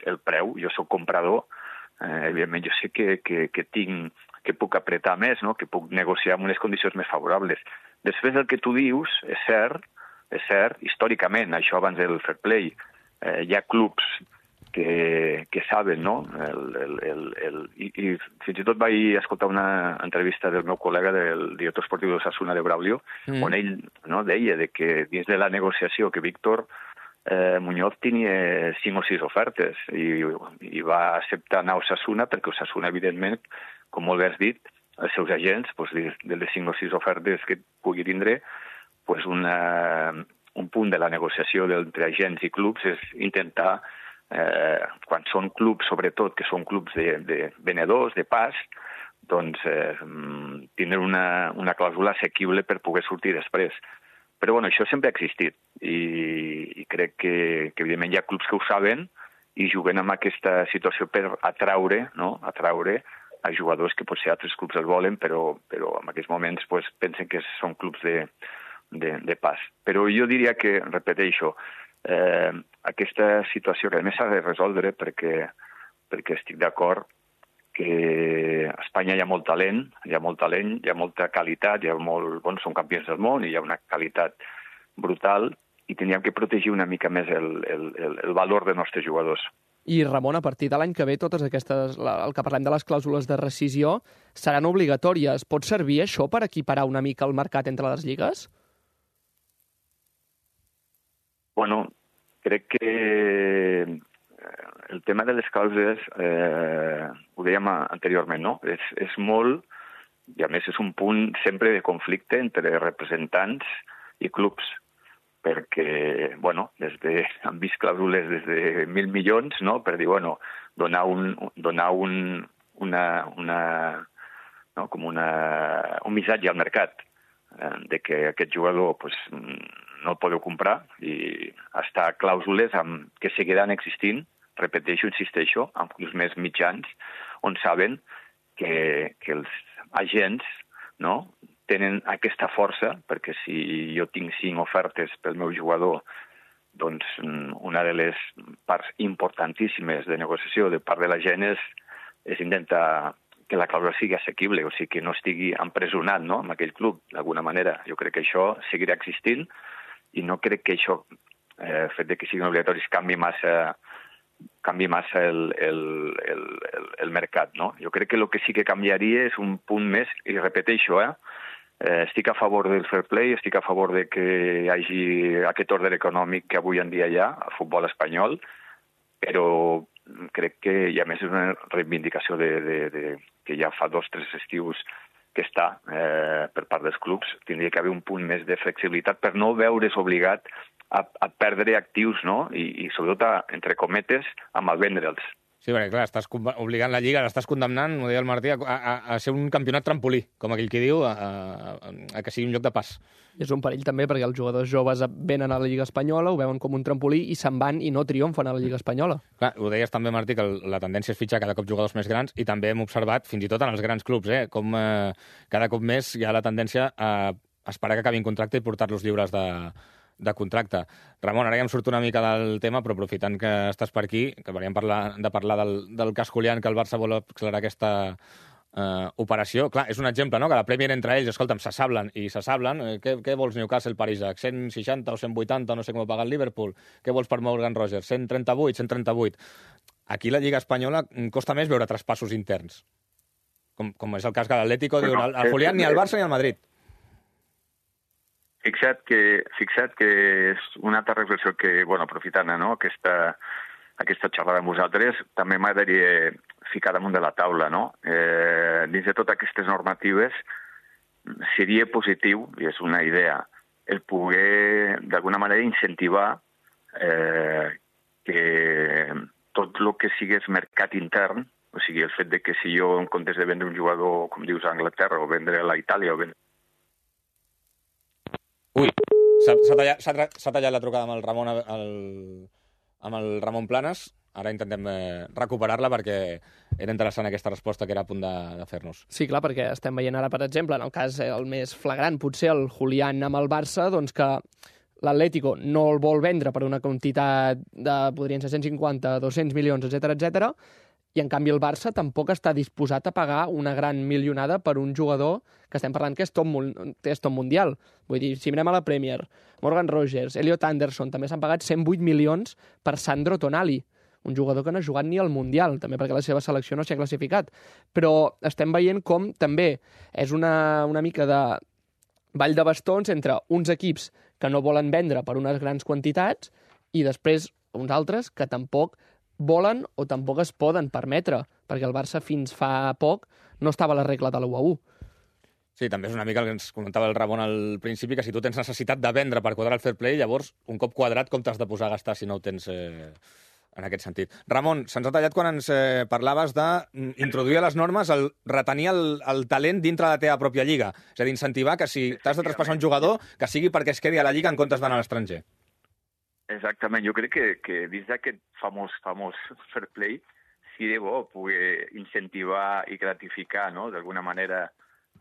Speaker 11: el preu. Jo soc comprador, evidentment jo sé que puc apretar més, no? Que puc negociar amb unes condicions més favorables. Després el que tu dius és cert, històricament, això abans del fair play, hi ha clubs que saben, no? I fins i tot vaig escoltar una entrevista del meu col·lega, del director esportiu d'Osasuna de Braulio, on ell deia que dins de la negociació que Víctor Muñoz tenia 5 o 6 ofertes i va acceptar anar a Osasuna perquè Osasuna, evidentment, com molt bé has dit, els seus agents, de les 5 o 6 ofertes que pugui tindre, un punt de la negociació entre agents i clubs és intentar, quan són clubs, sobretot, que són clubs de venedors, de pas, doncs tindre una clàusula assequible per poder sortir després. Però bueno, això sempre ha existit i crec que evidentment hi ha clubs que ho saben i juguen amb aquesta situació per atraure a jugadors que potser altres clubs el volen, però en aquests moments pensen que són clubs de pas. Però jo diria que, repeteixo, aquesta situació que a més s'ha de resoldre perquè estic d'acord que a Espanya hi ha molt talent, hi ha molta qualitat, són campions del món i hi ha una qualitat brutal i tindríem que protegir una mica més el valor dels nostres jugadors.
Speaker 10: I, Ramon, a partir de l'any que ve, totes aquestes, el que parlem de les clàusules de rescisió, seran obligatòries. Pot servir això per equiparar una mica el mercat entre les lligues?
Speaker 11: Bueno, crec que el tema de les clàusules, ho dèiem anteriorment, no? És molt, i a més és un punt sempre de conflicte entre representants i clubs, perquè, bueno, han vist clàusules des de 1.000 milions, no?, per dir, bueno, donar un missatge al mercat de que aquest jugador no el podeu comprar i està clàusules que seguiran existint, repeteixo, insisteixo, amb clubs més mitjans, on saben que els agents tenen aquesta força, perquè si jo tinc 5 ofertes pel meu jugador, doncs una de les parts importantíssimes de negociació de part de la gent és intentar que la clàusula sigui assequible, o sigui que no estigui empresonat en aquell club, d'alguna manera. Jo crec que això seguirà existint i no crec que això, el fet que siguin obligatoris, canvi massa el mercat, no? Jo crec que el que sí que canviaria és un punt més, i repeteixo, estic a favor del fair play, estic a favor de que hi hagi aquest ordre econòmic que avui en dia hi ha al futbol espanyol, però crec que hi ha més una reivindicació que ja fa 2 o 3 estius que està per part dels clubs. Tindria que haver un punt més de flexibilitat per no veure's obligat a perdre actius, no? I sobretot, entre cometes, a malvendre'ls.
Speaker 4: Sí, perquè clar, estàs obligant la Lliga, l'estàs condemnant, ho deia el Martí, a ser un campionat trampolí, com aquell que diu, a que sigui un lloc de pas.
Speaker 10: És un perill també perquè els jugadors joves venen a la Lliga Espanyola, ho veuen com un trampolí i se'n van i no triomfen a la Lliga Espanyola.
Speaker 4: Clar, ho deies també, Martí, que la tendència és fitxar cada cop jugadors més grans i també hem observat, fins i tot en els grans clubs, com cada cop més hi ha la tendència a esperar que acabin contracte i portar-los lliures de contracte. Ramon, ara ja em surto una mica del tema, però aprofitant que estàs per aquí, que veníem de parlar del cas Julián, que el Barça vol accelerar aquesta operació. Clar, és un exemple, no?, que la Premier entre ells, escolta'm, s'assablen. Què vols, Newcastle, Paris-Ac? 160 o 180, no sé com ho paga el Liverpool. Què vols per Morgan Rogers? 138. Aquí la Lliga Espanyola costa més veure traspassos interns. Com és el cas que l'Atlético diu al Julián ni al Barça ni al Madrid.
Speaker 11: Fixa't que és una altra reflexió que, bueno, aprofitant aquesta xerrada amb vosaltres, també m'agradaria ficar damunt de la taula, no? Dins de totes aquestes normatives seria positiu, i és una idea, el poder, d'alguna manera, incentivar que tot el que sigués mercat intern, o sigui, el fet de que si jo, en comptes de vendre un jugador, com dius, a Anglaterra, o vendre a la Itàlia, o vendre...
Speaker 4: Ui, s'ha tallat la trucada amb el Ramon Planes. ara intentem recuperar-la perquè era interessant aquesta resposta que era a punt de fer-nos.
Speaker 10: Sí, clar, perquè estem veient ara, per exemple, en el cas el més flagrant, potser el Julián amb el Barça, doncs que l'Atlético no el vol vendre per una quantitat de, podrien ser 150, 200 milions, etc, i en canvi el Barça tampoc està disposat a pagar una gran milionada per un jugador que estem parlant que és top mundial. Vull dir, si mirem a la Premier, Morgan Rogers, Elliot Anderson, també s'han pagat 108 milions per Sandro Tonali, un jugador que no ha jugat ni al Mundial, també perquè la seva selecció no s'hi ha classificat. Però estem veient com també és una mica de ball de bastons entre uns equips que no volen vendre per unes grans quantitats i després uns altres que tampoc volen o tampoc es poden permetre, perquè el Barça fins fa poc no estava a la regla de l'1-1.
Speaker 4: Sí, també és una mica el que ens comentava el Ramon al principi, que si tu tens necessitat de vendre per quadrar el fair play, llavors, un cop quadrat, com t'has de posar a gastar si no ho tens en aquest sentit. Ramon, se'ns ha tallat quan ens parlaves d'introduir a les normes el retenir el talent dintre de la teva pròpia lliga. És a dir, incentivar que si t'has de traspassar un jugador, que sigui perquè es quedi a la lliga en comptes d'anar a l'estranger.
Speaker 11: Exactament, jo crec que dins d'aquest famós fair play sí de bo poder incentivar i gratificar, no?, d'alguna manera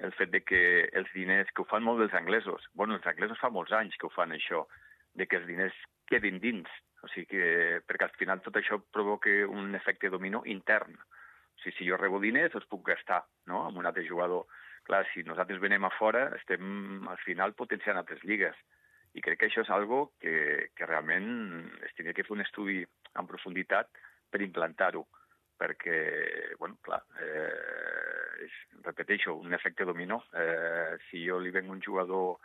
Speaker 11: el fet de que els diners, que ho fan molt els anglesos, els anglesos fa molts anys que ho fan això, de que els diners quedin dins, o sigui que, perquè al final tot això provoca un efecte dominó intern. O sigui, si jo rebo diners, els puc gastar, no?, amb un altre jugador. Clar, si nosaltres venem a fora, estem al final potenciant altres lligues. I crec que això és algo que realment es tindria que fer un estudi en profunditat per implantar-ho, perquè, clar, repeteixo, un efecte dominó. Si jo li venc un jugador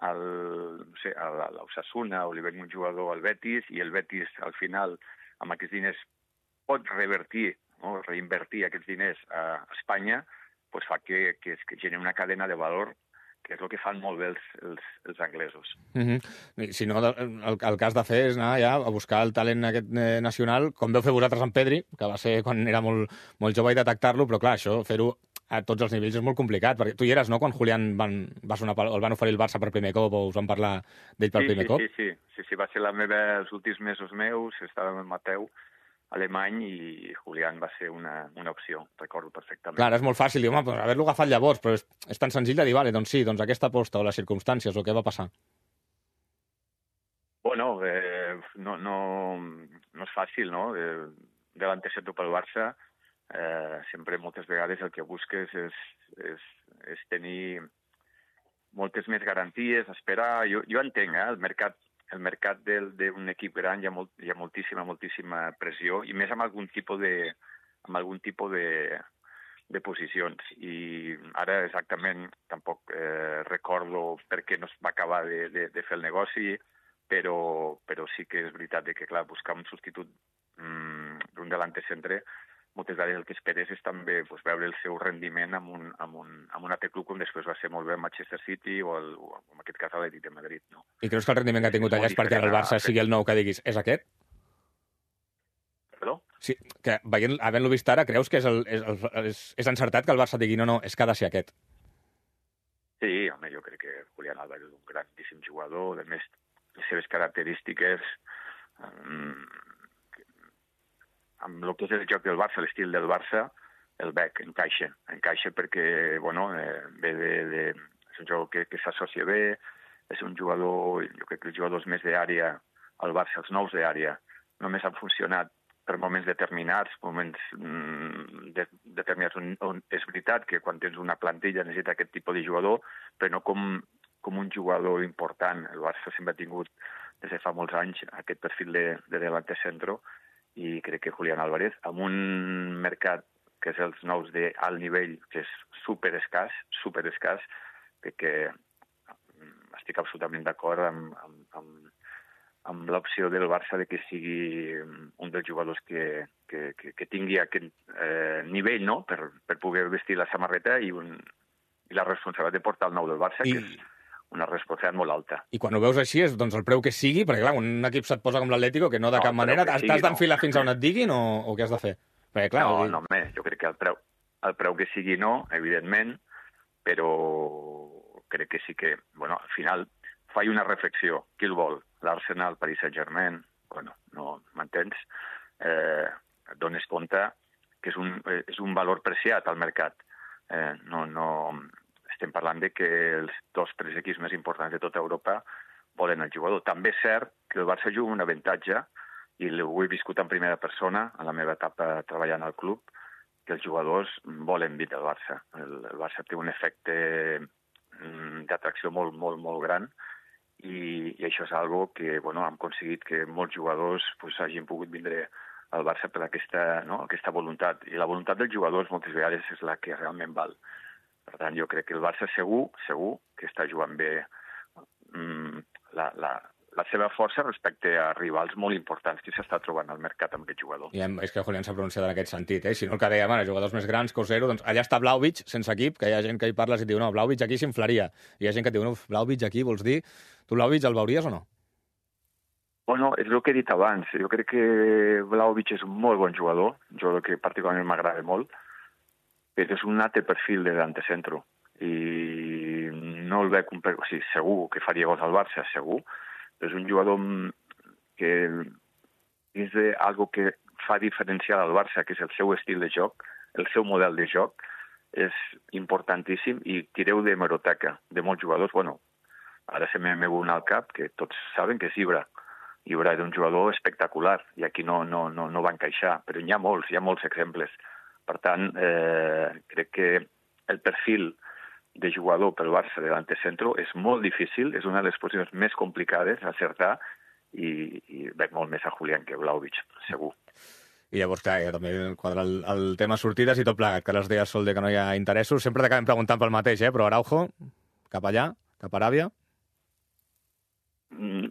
Speaker 11: a l'Osasuna o li venc un jugador al Betis i el Betis, al final, amb aquests diners pot revertir, no?, reinvertir aquests diners a Espanya, doncs fa que es generi una cadena de valor que és el que fan molt bé els anglesos.
Speaker 4: Si no, el que has de fer és anar ja a buscar el talent aquest nacional, com veu fer vosaltres amb Pedri, que va ser quan era molt jove, i detectar-lo, però clar, això, fer-ho a tots els nivells és molt complicat, perquè tu hi eres, no?, quan Julián el van oferir el Barça per primer cop, o us van parlar d'ell per primer cop?
Speaker 11: Sí, va ser els últims mesos meus, estava amb Mateu, alemany, i Julián va ser una opció, recordo perfectament.
Speaker 4: Clar, és molt fàcil dir, home, haver-lo agafat llavors, però és tan senzill de dir, vale, doncs sí, doncs aquesta aposta o les circumstàncies o què va passar.
Speaker 11: No és fàcil, no? Delante centro pel Barça, sempre moltes vegades el que busques és tenir moltes més garanties, esperar. Jo entenc, el mercat d'un equip gran hi ha moltíssima pressió, i més amb algun tipus de posicions. I ara exactament tampoc recordo per què no es va acabar de fer el negoci, però sí que és veritat que, clar, buscar un substitut d'un delante centre, moltes vegades el que esperes és també veure el seu rendiment amb un altre club, com després va ser molt bé el Manchester City o en aquest cas l'Atlètic de Madrid. No?
Speaker 4: I creus que el rendiment que ha tingut allà és perquè el Barça sigui el nou que diguis, és aquest?
Speaker 11: Perdó?
Speaker 4: Sí, que havent-lo vist ara, creus que és encertat que el Barça digui no, és que ha de ser aquest?
Speaker 11: Sí, home, jo crec que Julián Álvarez és un grandíssim jugador, a més, les seves característiques amb el que és el joc del Barça, l'estil del Barça, el veig, encaixa perquè, ve és un jugador que s'associa bé, és un jugador, jo crec que els jugadors més d'àrea al Barça, els nous d'àrea, només han funcionat per moments determinats, on és veritat que quan tens una plantilla necessita aquest tipus de jugador, però no com un jugador important. El Barça sempre ha tingut, des de fa molts anys, aquest perfil de delante centro, i crec que Julián Álvarez, amb un mercat que és els nous d'alt nivell, que és superescàs, crec que estic absolutament d'acord amb l'opció del Barça de que sigui un dels jugadors que tingui aquest nivell, no?, per poder vestir la samarreta i la responsabilitat de portar el nou del Barça, que és una responsabilitat molt alta.
Speaker 4: I quan ho veus així és el preu que sigui, perquè clar, un equip se't posa com l'Atlético, que no de cap manera, t'has d'enfilar fins on et diguin o què has de fer? Perquè, clar,
Speaker 11: home, jo crec que el preu que sigui no, evidentment, però crec que sí que, al final, faig una reflexió. Qui el vol? L'Arsenal, Paris Saint-Germain? No, m'entens? et dones compte que és un valor preciat al mercat. Estem parlant de que els 2-3 equips més importants de tota Europa volen el jugador. També és cert que el Barça juga un avantatge, i ho he viscut en primera persona, en la meva etapa treballant al club, que els jugadors volen vindre al Barça. El Barça té un efecte d'atracció molt, molt, molt gran, i això és algo que hem aconseguit que molts jugadors hagin pogut vindre al Barça per aquesta voluntat. I la voluntat dels jugadors moltes vegades és la que realment val. Per tant, jo crec que el Barça segur que està jugant bé la seva força respecte a rivals molt importants que s'està trobant al mercat amb aquest jugador.
Speaker 4: I és que Julián s'ha pronunciat en aquest sentit, Si no el que dèiem ara, jugadors més grans, Cosero, doncs allà està Vlahovic, sense equip, que hi ha gent que hi parles i diu, no, Vlahovic aquí s'inflaria. I hi ha gent que diu, no, Vlahovic aquí, vols dir? Tu Vlahovic el veuries o no?
Speaker 11: Bueno, és el que he dit abans. Jo crec que Vlahovic és un molt bon jugador, un jugador que particularment m'agrada molt, però és un altre perfil de delantecentro. I no el veig... O sigui, segur que faria gols al Barça, segur, però és un jugador que és algo que fa diferencial al Barça, que és el seu estil de joc, el seu model de joc, és importantíssim, i tireu de meroteca de molts jugadors. Bueno, ara se m'he venut al cap, que tots saben que és Ibra. Ibra era un jugador espectacular, i aquí no va encaixar, però hi ha molts exemples. Per tant, crec que el perfil de jugador pel Barça de l'antecentro és molt difícil, és una de les posicions més complicades a acertar, i veig molt més a Julián que Vlahovic, segur.
Speaker 4: I llavors, clar, també quadra el tema sortides i tot plegat, que les deies sol de que no hi ha interessos. Sempre t'acabem preguntant pel mateix, però Araujo, cap allà, cap a Aràbia?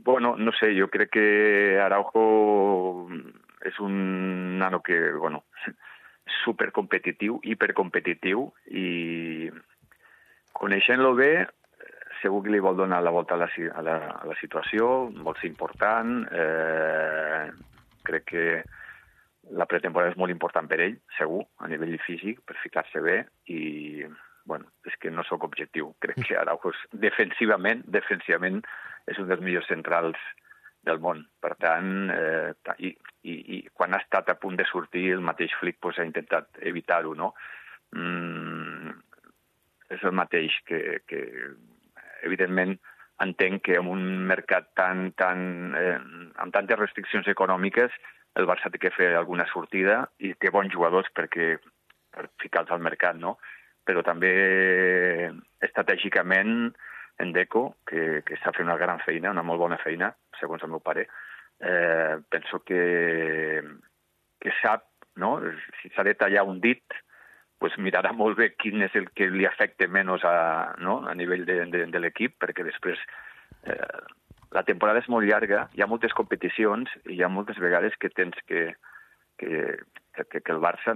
Speaker 11: Bueno, no sé, jo crec que Araujo és un nano que, supercompetitiu, hipercompetitiu, i coneixent-lo bé, segur que li vol donar la volta a la situació, vol ser important. Crec que la pretemporada és molt important per ell, segur, a nivell físic, per ficar-se bé, i és que no sóc objectiu. Crec que Araujo defensivament és un dels millors centrals del món. Per tant, i quan ha estat a punt de sortir, el mateix Flick ha intentat evitar-ho, no? És el mateix que evidentment, entenc que en un mercat amb tantes restriccions econòmiques, el Barça té que fer alguna sortida, i té bons jugadors per ficar-los al mercat, no? Però també estratègicament en Deco, que està fent una gran feina, una molt bona feina, segons el meu pare, penso que sap, no? Si s'ha de tallar un dit, mirarà molt bé quin és el que li afecta menys a nivell de l'equip, perquè després la temporada és molt llarga, hi ha moltes competicions, i hi ha moltes vegades que tens que el Barça,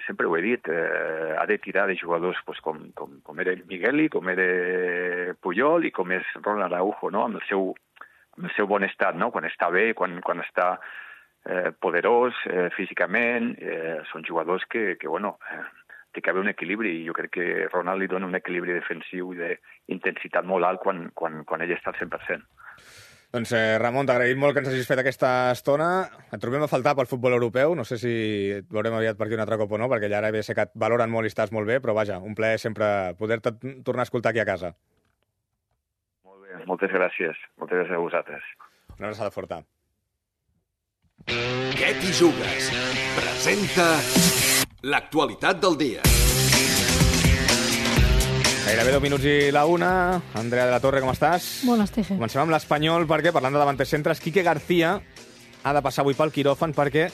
Speaker 11: sempre ho he dit, ha de tirar de jugadors com era Migueli, com era Puyol i com és Ronald Araujo, amb el seu bon estat, quan està bé, quan està poderós físicament. Són jugadors que té que haver un equilibri, i jo crec que Ronald li dona un equilibri defensiu i d'intensitat molt alt quan ell està al 100%.
Speaker 4: Doncs, Ramon, t'agraïm molt que ens hagis fet aquesta estona. Et trobem a faltar pel futbol europeu. No sé si et veurem aviat per aquí un altre cop o no, perquè ja ara sé que et valoren molt i estàs molt bé, però vaja, un plaer sempre poder-te tornar a escoltar aquí a casa.
Speaker 11: Molt bé, moltes gràcies. Moltes gràcies a vosaltres.
Speaker 4: Una abraçada forta.
Speaker 1: Què t'hi jugues? Presenta l'actualitat del dia.
Speaker 4: Gairebé 10 minuts i la una. Andrea de la Torre, com estàs?
Speaker 12: Bones, Teje.
Speaker 4: Comencem amb l'Espanyol, perquè, parlant de davanters centres, Quique García ha de passar avui pel quiròfan perquè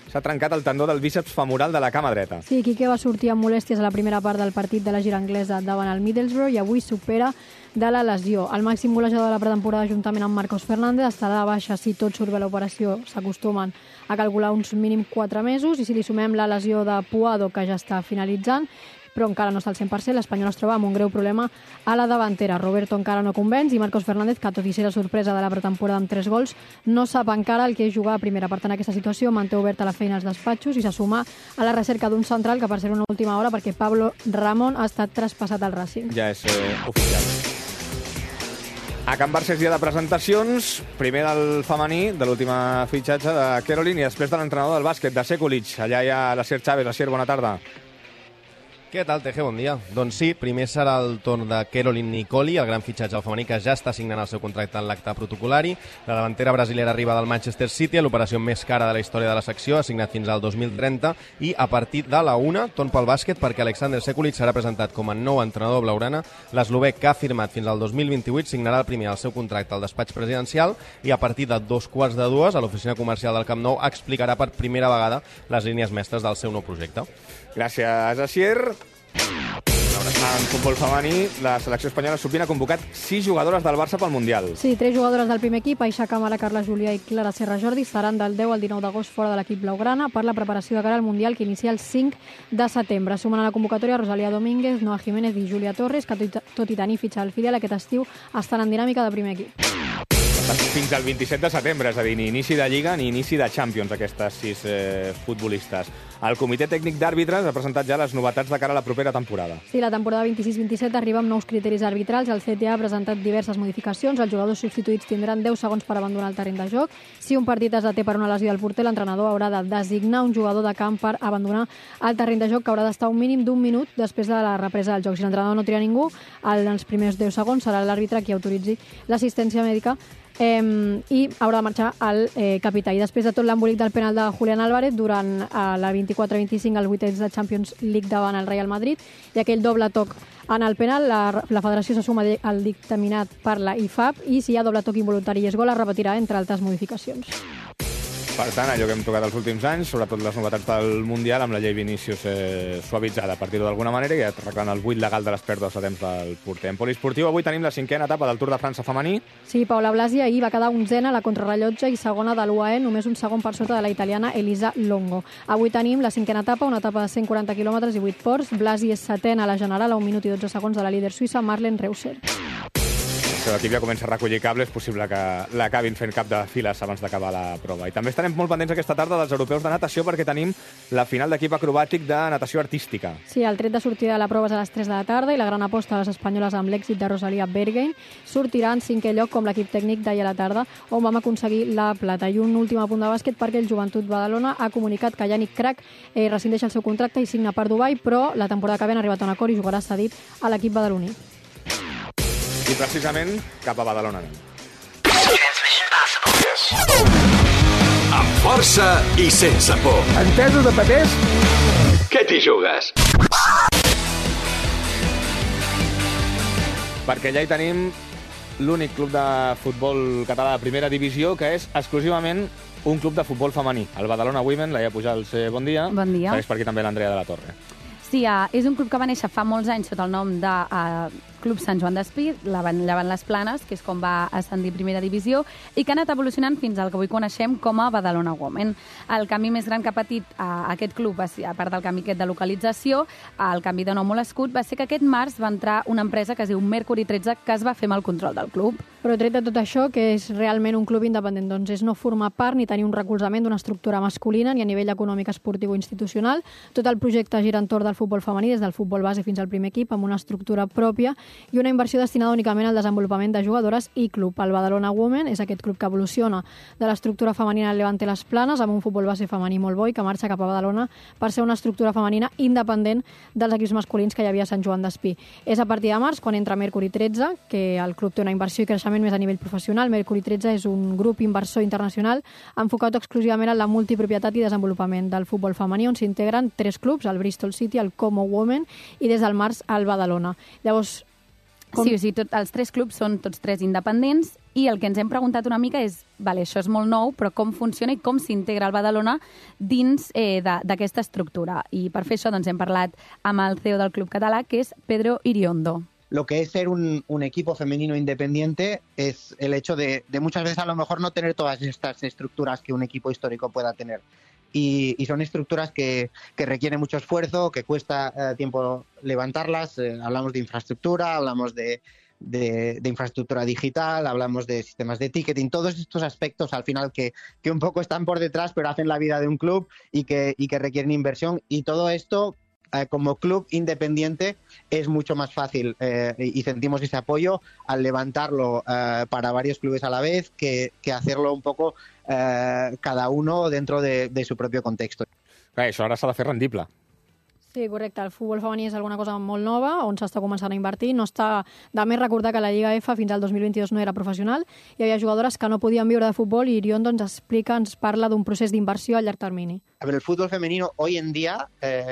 Speaker 4: s'ha trencat el tendó del bíceps femoral de la cama dreta.
Speaker 12: Sí, Quique va sortir amb molèsties a la primera part del partit de la gira anglesa davant el Middlesbrough i avui supera de la lesió. El màxim golejador de la pretemporada, juntament amb Marcos Fernández, estarà de baixa si tot surt bé l'operació. S'acostumen a calcular uns mínim 4 mesos, i si li sumem la lesió de Puado, que ja està finalitzant, però encara no està al 100%, l'Espanyol es troba amb un greu problema a la davantera. Roberto encara no convenç, i Marcos Fernández, que tot i ser la sorpresa de la pretemporada amb 3 gols, no sap encara el que és jugar a primera. Per tant, aquesta situació manté oberta la feina als despatxos i se suma a la recerca d'un central, que per ser una última hora, perquè Pablo Ramón ha estat traspassat al Racing.
Speaker 4: Ja és oficial. A Can Barça és dia de presentacions, primer del femení, de l'última fitxatge de Caroline, i després de l'entrenador del bàsquet, de Sekulic. Allà hi ha l'Asier Chávez. Asier, bona tarda.
Speaker 13: Què tal, Teje? Bon dia. Doncs sí, primer serà el torn de Caroline Nicoli, el gran fitxatge al femení que ja està signant el seu contracte en l'acte protocolari. La davantera brasilera arriba del Manchester City, l'operació més cara de la història de la secció, ha signat fins al 2030, i a partir de la 1, torn pel bàsquet, perquè Alexander Sekulic serà presentat com a nou entrenador blaugrana. L'eslovec, que ha firmat fins al 2028, signarà el primer el seu contracte al despatx presidencial i a partir de 2:45 a l'oficina comercial del Camp Nou explicarà per primera vegada les línies mestres del seu nou projecte.
Speaker 4: Gràcies, Asier. En futbol femení, la selecció espanyola sub-20 ha convocat 6 jugadores del Barça pel Mundial.
Speaker 12: Sí, 3 jugadores del primer equip, Aixa Camara, Carla Julià i Clara Serra Jordi, seran del 10 al 19 d'agost fora de l'equip blaugrana per la preparació de cara al Mundial que inicia el 5 de setembre. Sumen a la convocatòria Rosalía Domínguez, Noa Jiménez i Júlia Torres, que tot i tenir fitxa al filial aquest estiu estan en dinàmica de primer equip.
Speaker 4: Fins al 27 de setembre, és a dir, ni inici de Lliga ni inici de Champions, aquestes 6 futbolistes. El comitè tècnic d'àrbitres ha presentat ja les novetats de cara a la propera temporada.
Speaker 12: Sí, la temporada 26-27 arriba amb nous criteris arbitrals. El CTA ha presentat diverses modificacions. Els jugadors substituïts tindran 10 segons per abandonar el terreny de joc. Si un partit es deté per una lesió del porter, l'entrenador haurà de designar un jugador de camp per abandonar el terreny de joc, que haurà d'estar un mínim d'un minut després de la represa del joc. Si l'entrenador no tria ningú, en els primers 10 segons serà l'àrbitre qui autoritzi l'assistència mèdica i haurà de marxar el capità. I després de tot l'embolic del penal de Julián Álvarez durant la 24-25 als vuitens de Champions League davant el Real Madrid i aquell doble toc en el penal, la federació se suma al dictaminat per la IFAB i si hi ha doble toc involuntari i és gol es repetirà, entre altres modificacions.
Speaker 4: Per tant, allò que hem tocat els últims anys, sobretot les novetats del Mundial, amb la llei Vinícius suavitzada, per dir-ho d'alguna manera, i arreglant el buit legal de les pèrdues a temps del porter. En poliesportiu, avui tenim la 5a etapa del Tour de França femení.
Speaker 12: Sí, Paula Blasi ahir va quedar 11a a la contrarrellotge i segona de l'UAE, només un segon per sota de la italiana Elisa Longo. Avui tenim la 5a etapa, una etapa de 140 quilòmetres i 8 ports. Blasi és setena a la general, a 1 minut i 12 segons de la líder suïssa Marlene Reusser.
Speaker 4: L'equip ja comença a recollir cables, és possible que l'acabin fent cap de files abans d'acabar la prova. I també estarem molt pendents aquesta tarda dels europeus de natació perquè tenim la final d'equip acrobàtic de natació artística.
Speaker 12: Sí, el tret de sortida de la prova és a les 3 de la tarda i la gran aposta de les espanyoles amb l'èxit de Rosalía Bergheim sortirà en 5è lloc com l'equip tècnic d'ahir a la tarda, on vam aconseguir la plata. I un últim apunt de bàsquet perquè el Joventut Badalona ha comunicat que Yannick Crac rescindeix el seu contracte i signa per Dubai, però la temporada que ve han arribat a un acord i jugarà cedit a l'equip badaloní.
Speaker 4: I precisament cap a Badalona.
Speaker 1: Amb força i sense por.
Speaker 3: Entesos de papers?
Speaker 1: Què t'hi jugues?
Speaker 4: Perquè ja hi tenim l'únic club de futbol català de primera divisió que és exclusivament un club de futbol femení. El Badalona Women, Laia Pujals, bon dia.
Speaker 14: Bon dia.
Speaker 4: Segueix per aquí també l'Andrea de la Torre.
Speaker 14: Sí, és un club que va néixer fa molts anys sota el nom de Club Sant Joan d'Espí, llevant les Planes, que és com va ascendir primera divisió, i que ha anat evolucionant fins al que avui coneixem com a Badalona Women. El canvi més gran que ha patit aquest club, a part del canvi aquest de localització, el canvi de nom o l'escut, va ser que aquest març va entrar una empresa que es diu Mercury 13, que es va fer amb el control del club.
Speaker 12: Però tret de tot això, que és realment un club independent, doncs és no formar part ni tenir un recolzament d'una estructura masculina ni a nivell econòmic, esportiu o institucional. Tot el projecte gira entorn del futbol femení, des del futbol base fins al primer equip, amb una estructura pròpia i una inversió destinada únicament al desenvolupament de jugadores i club. El Badalona Women és aquest club que evoluciona de l'estructura femenina del Levante Les Planes amb un futbol base femení molt bo i que marxa cap a Badalona per ser una estructura femenina independent dels equips masculins que hi havia a Sant Joan d'Espí. És a partir de març quan entra Mercury 13, que el club té una inversió i creixement més a nivell professional. Mercury 13 és un grup inversor internacional enfocat exclusivament en la multipropietat i desenvolupament del futbol femení, on s'integren 3 clubs, el Bristol City, el Como Women i des del març el Badalona. Llavors,
Speaker 14: Sí, els 3 clubs són tots 3 independents i el que ens hem preguntat una mica és, vale, això és molt nou, però com funciona i com s'integra el Badalona dins d'aquesta estructura. I per fer això doncs, hem parlat amb el CEO del club català, que és Pedro Iriondo.
Speaker 15: Lo que es ser un equipo femenino independiente es el hecho de muchas veces a lo mejor no tener todas estas estructuras que un equipo histórico pueda tener. Y son estructuras que requieren mucho esfuerzo, que cuesta tiempo levantarlas. Hablamos de infraestructura, hablamos de infraestructura digital, hablamos de sistemas de ticketing, todos estos aspectos al final que un poco están por detrás pero hacen la vida de un club y que requieren inversión. Y todo esto como club independiente es mucho más fácil y sentimos ese apoyo al levantarlo para varios clubes a la vez que hacerlo un poco cada uno dentro de su propio contexto.
Speaker 4: Això ara s'ha de fer rendible.
Speaker 12: Sí, correcte. El futbol femení és alguna cosa molt nova, on s'està començant a invertir. No està de més recordar que la Lliga F fins al 2022 no era professional. Hi havia jugadores que no podien viure de futbol i Irion ens parla d'un procés d'inversió a llarg termini.
Speaker 15: A ver, el fútbol femenino hoy en día,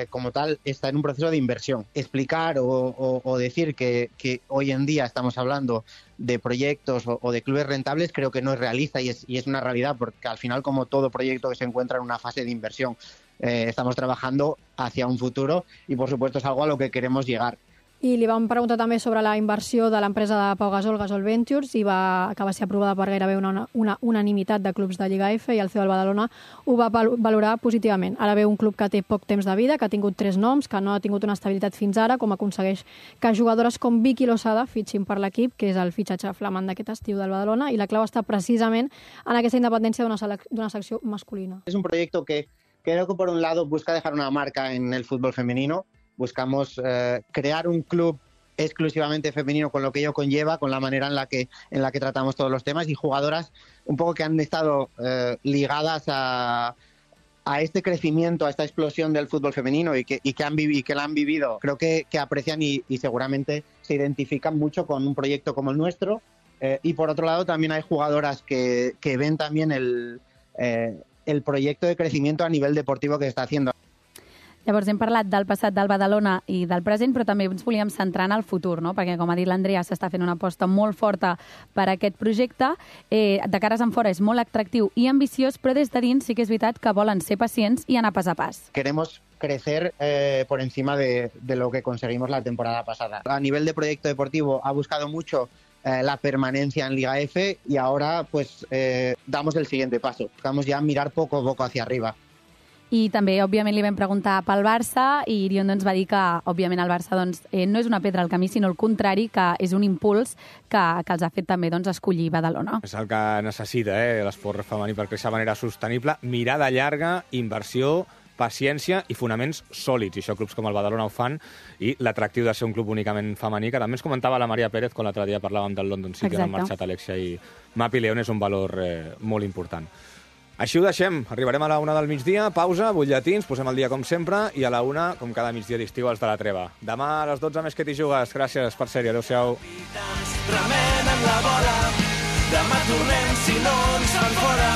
Speaker 15: como tal, está en un proceso de inversión. Explicar o decir que hoy en día estamos hablando de proyectos o de clubes rentables creo que no es realista y es una realidad, porque al final, como todo proyecto que se encuentra en una fase de inversión, estamos trabajando hacia un futuro y, por supuesto, es algo a lo que queremos llegar.
Speaker 12: I li vam preguntar també sobre la inversió de l'empresa de Pau Gasol, Gasol Ventures, que va ser aprovada per gairebé una unanimitat de clubs de Lliga F, i el CEO del Badalona ho va valorar positivament. Ara ve un club que té poc temps de vida, que ha tingut 3 noms, que no ha tingut una estabilitat fins ara, com aconsegueix que jugadores com Vicky Losada fitxin per l'equip, que és el fitxatge flamant d'aquest estiu del Badalona, i la clau està precisament en aquesta independència d'una secció masculina.
Speaker 15: Es un proyecto que creo que, por un lado, busca dejar una marca en el fútbol femenino. Buscamos crear un club exclusivamente femenino con lo que ello conlleva, con la manera en la que tratamos todos los temas, y jugadoras un poco que han estado ligadas a este crecimiento, a esta explosión del fútbol femenino y que la han vivido. Creo que aprecian y seguramente se identifican mucho con un proyecto como el nuestro. Y por otro lado también hay jugadoras que ven también el proyecto de crecimiento a nivel deportivo que se está haciendo.
Speaker 14: Llavors hem parlat del passat del Badalona i del present, però també ens volíem centrar en el futur, no? Perquè, com ha dit l'Andrea, s'està fent una aposta molt forta per a aquest projecte. De cares en fora és molt atractiu i ambiciós, però des de dins sí que és veritat que volen ser pacients i anar pas a pas.
Speaker 15: Queremos crecer por encima de lo que conseguimos la temporada pasada. A nivel de proyecto deportivo ha buscado mucho la permanencia en Liga F y ahora pues damos el siguiente paso. Buscamos ya mirar poco a poco hacia arriba.
Speaker 14: I també, òbviament, li vam preguntar pel Barça i Irion ens va dir que, òbviament, el Barça no és una pedra al camí, sinó el contrari, que és un impuls que els ha fet també escollir Badalona.
Speaker 4: És el que necessita l'esport femení per créixer de manera sostenible, mirada llarga, inversió, paciència i fonaments sòlids. I això clubs com el Badalona ho fan, i l'atractiu de ser un club únicament femení, que també ens comentava la Maria Pérez quan l'altre dia parlàvem del London City, on han marxat Alexia i Mapi León, és un valor molt important. Així ho deixem. Arribarem a la 1 del migdia, pausa, butlletins, posem el dia com sempre, i a la 1, com cada migdia d'estiu, els de la treva. Demà a les 12 més que t'hi jugues. Gràcies per ser-hi. Adéu-siau.
Speaker 6: Remenen la bola, demà tornem si no ens fan fora.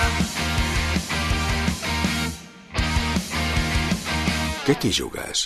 Speaker 1: Què t'hi jugues?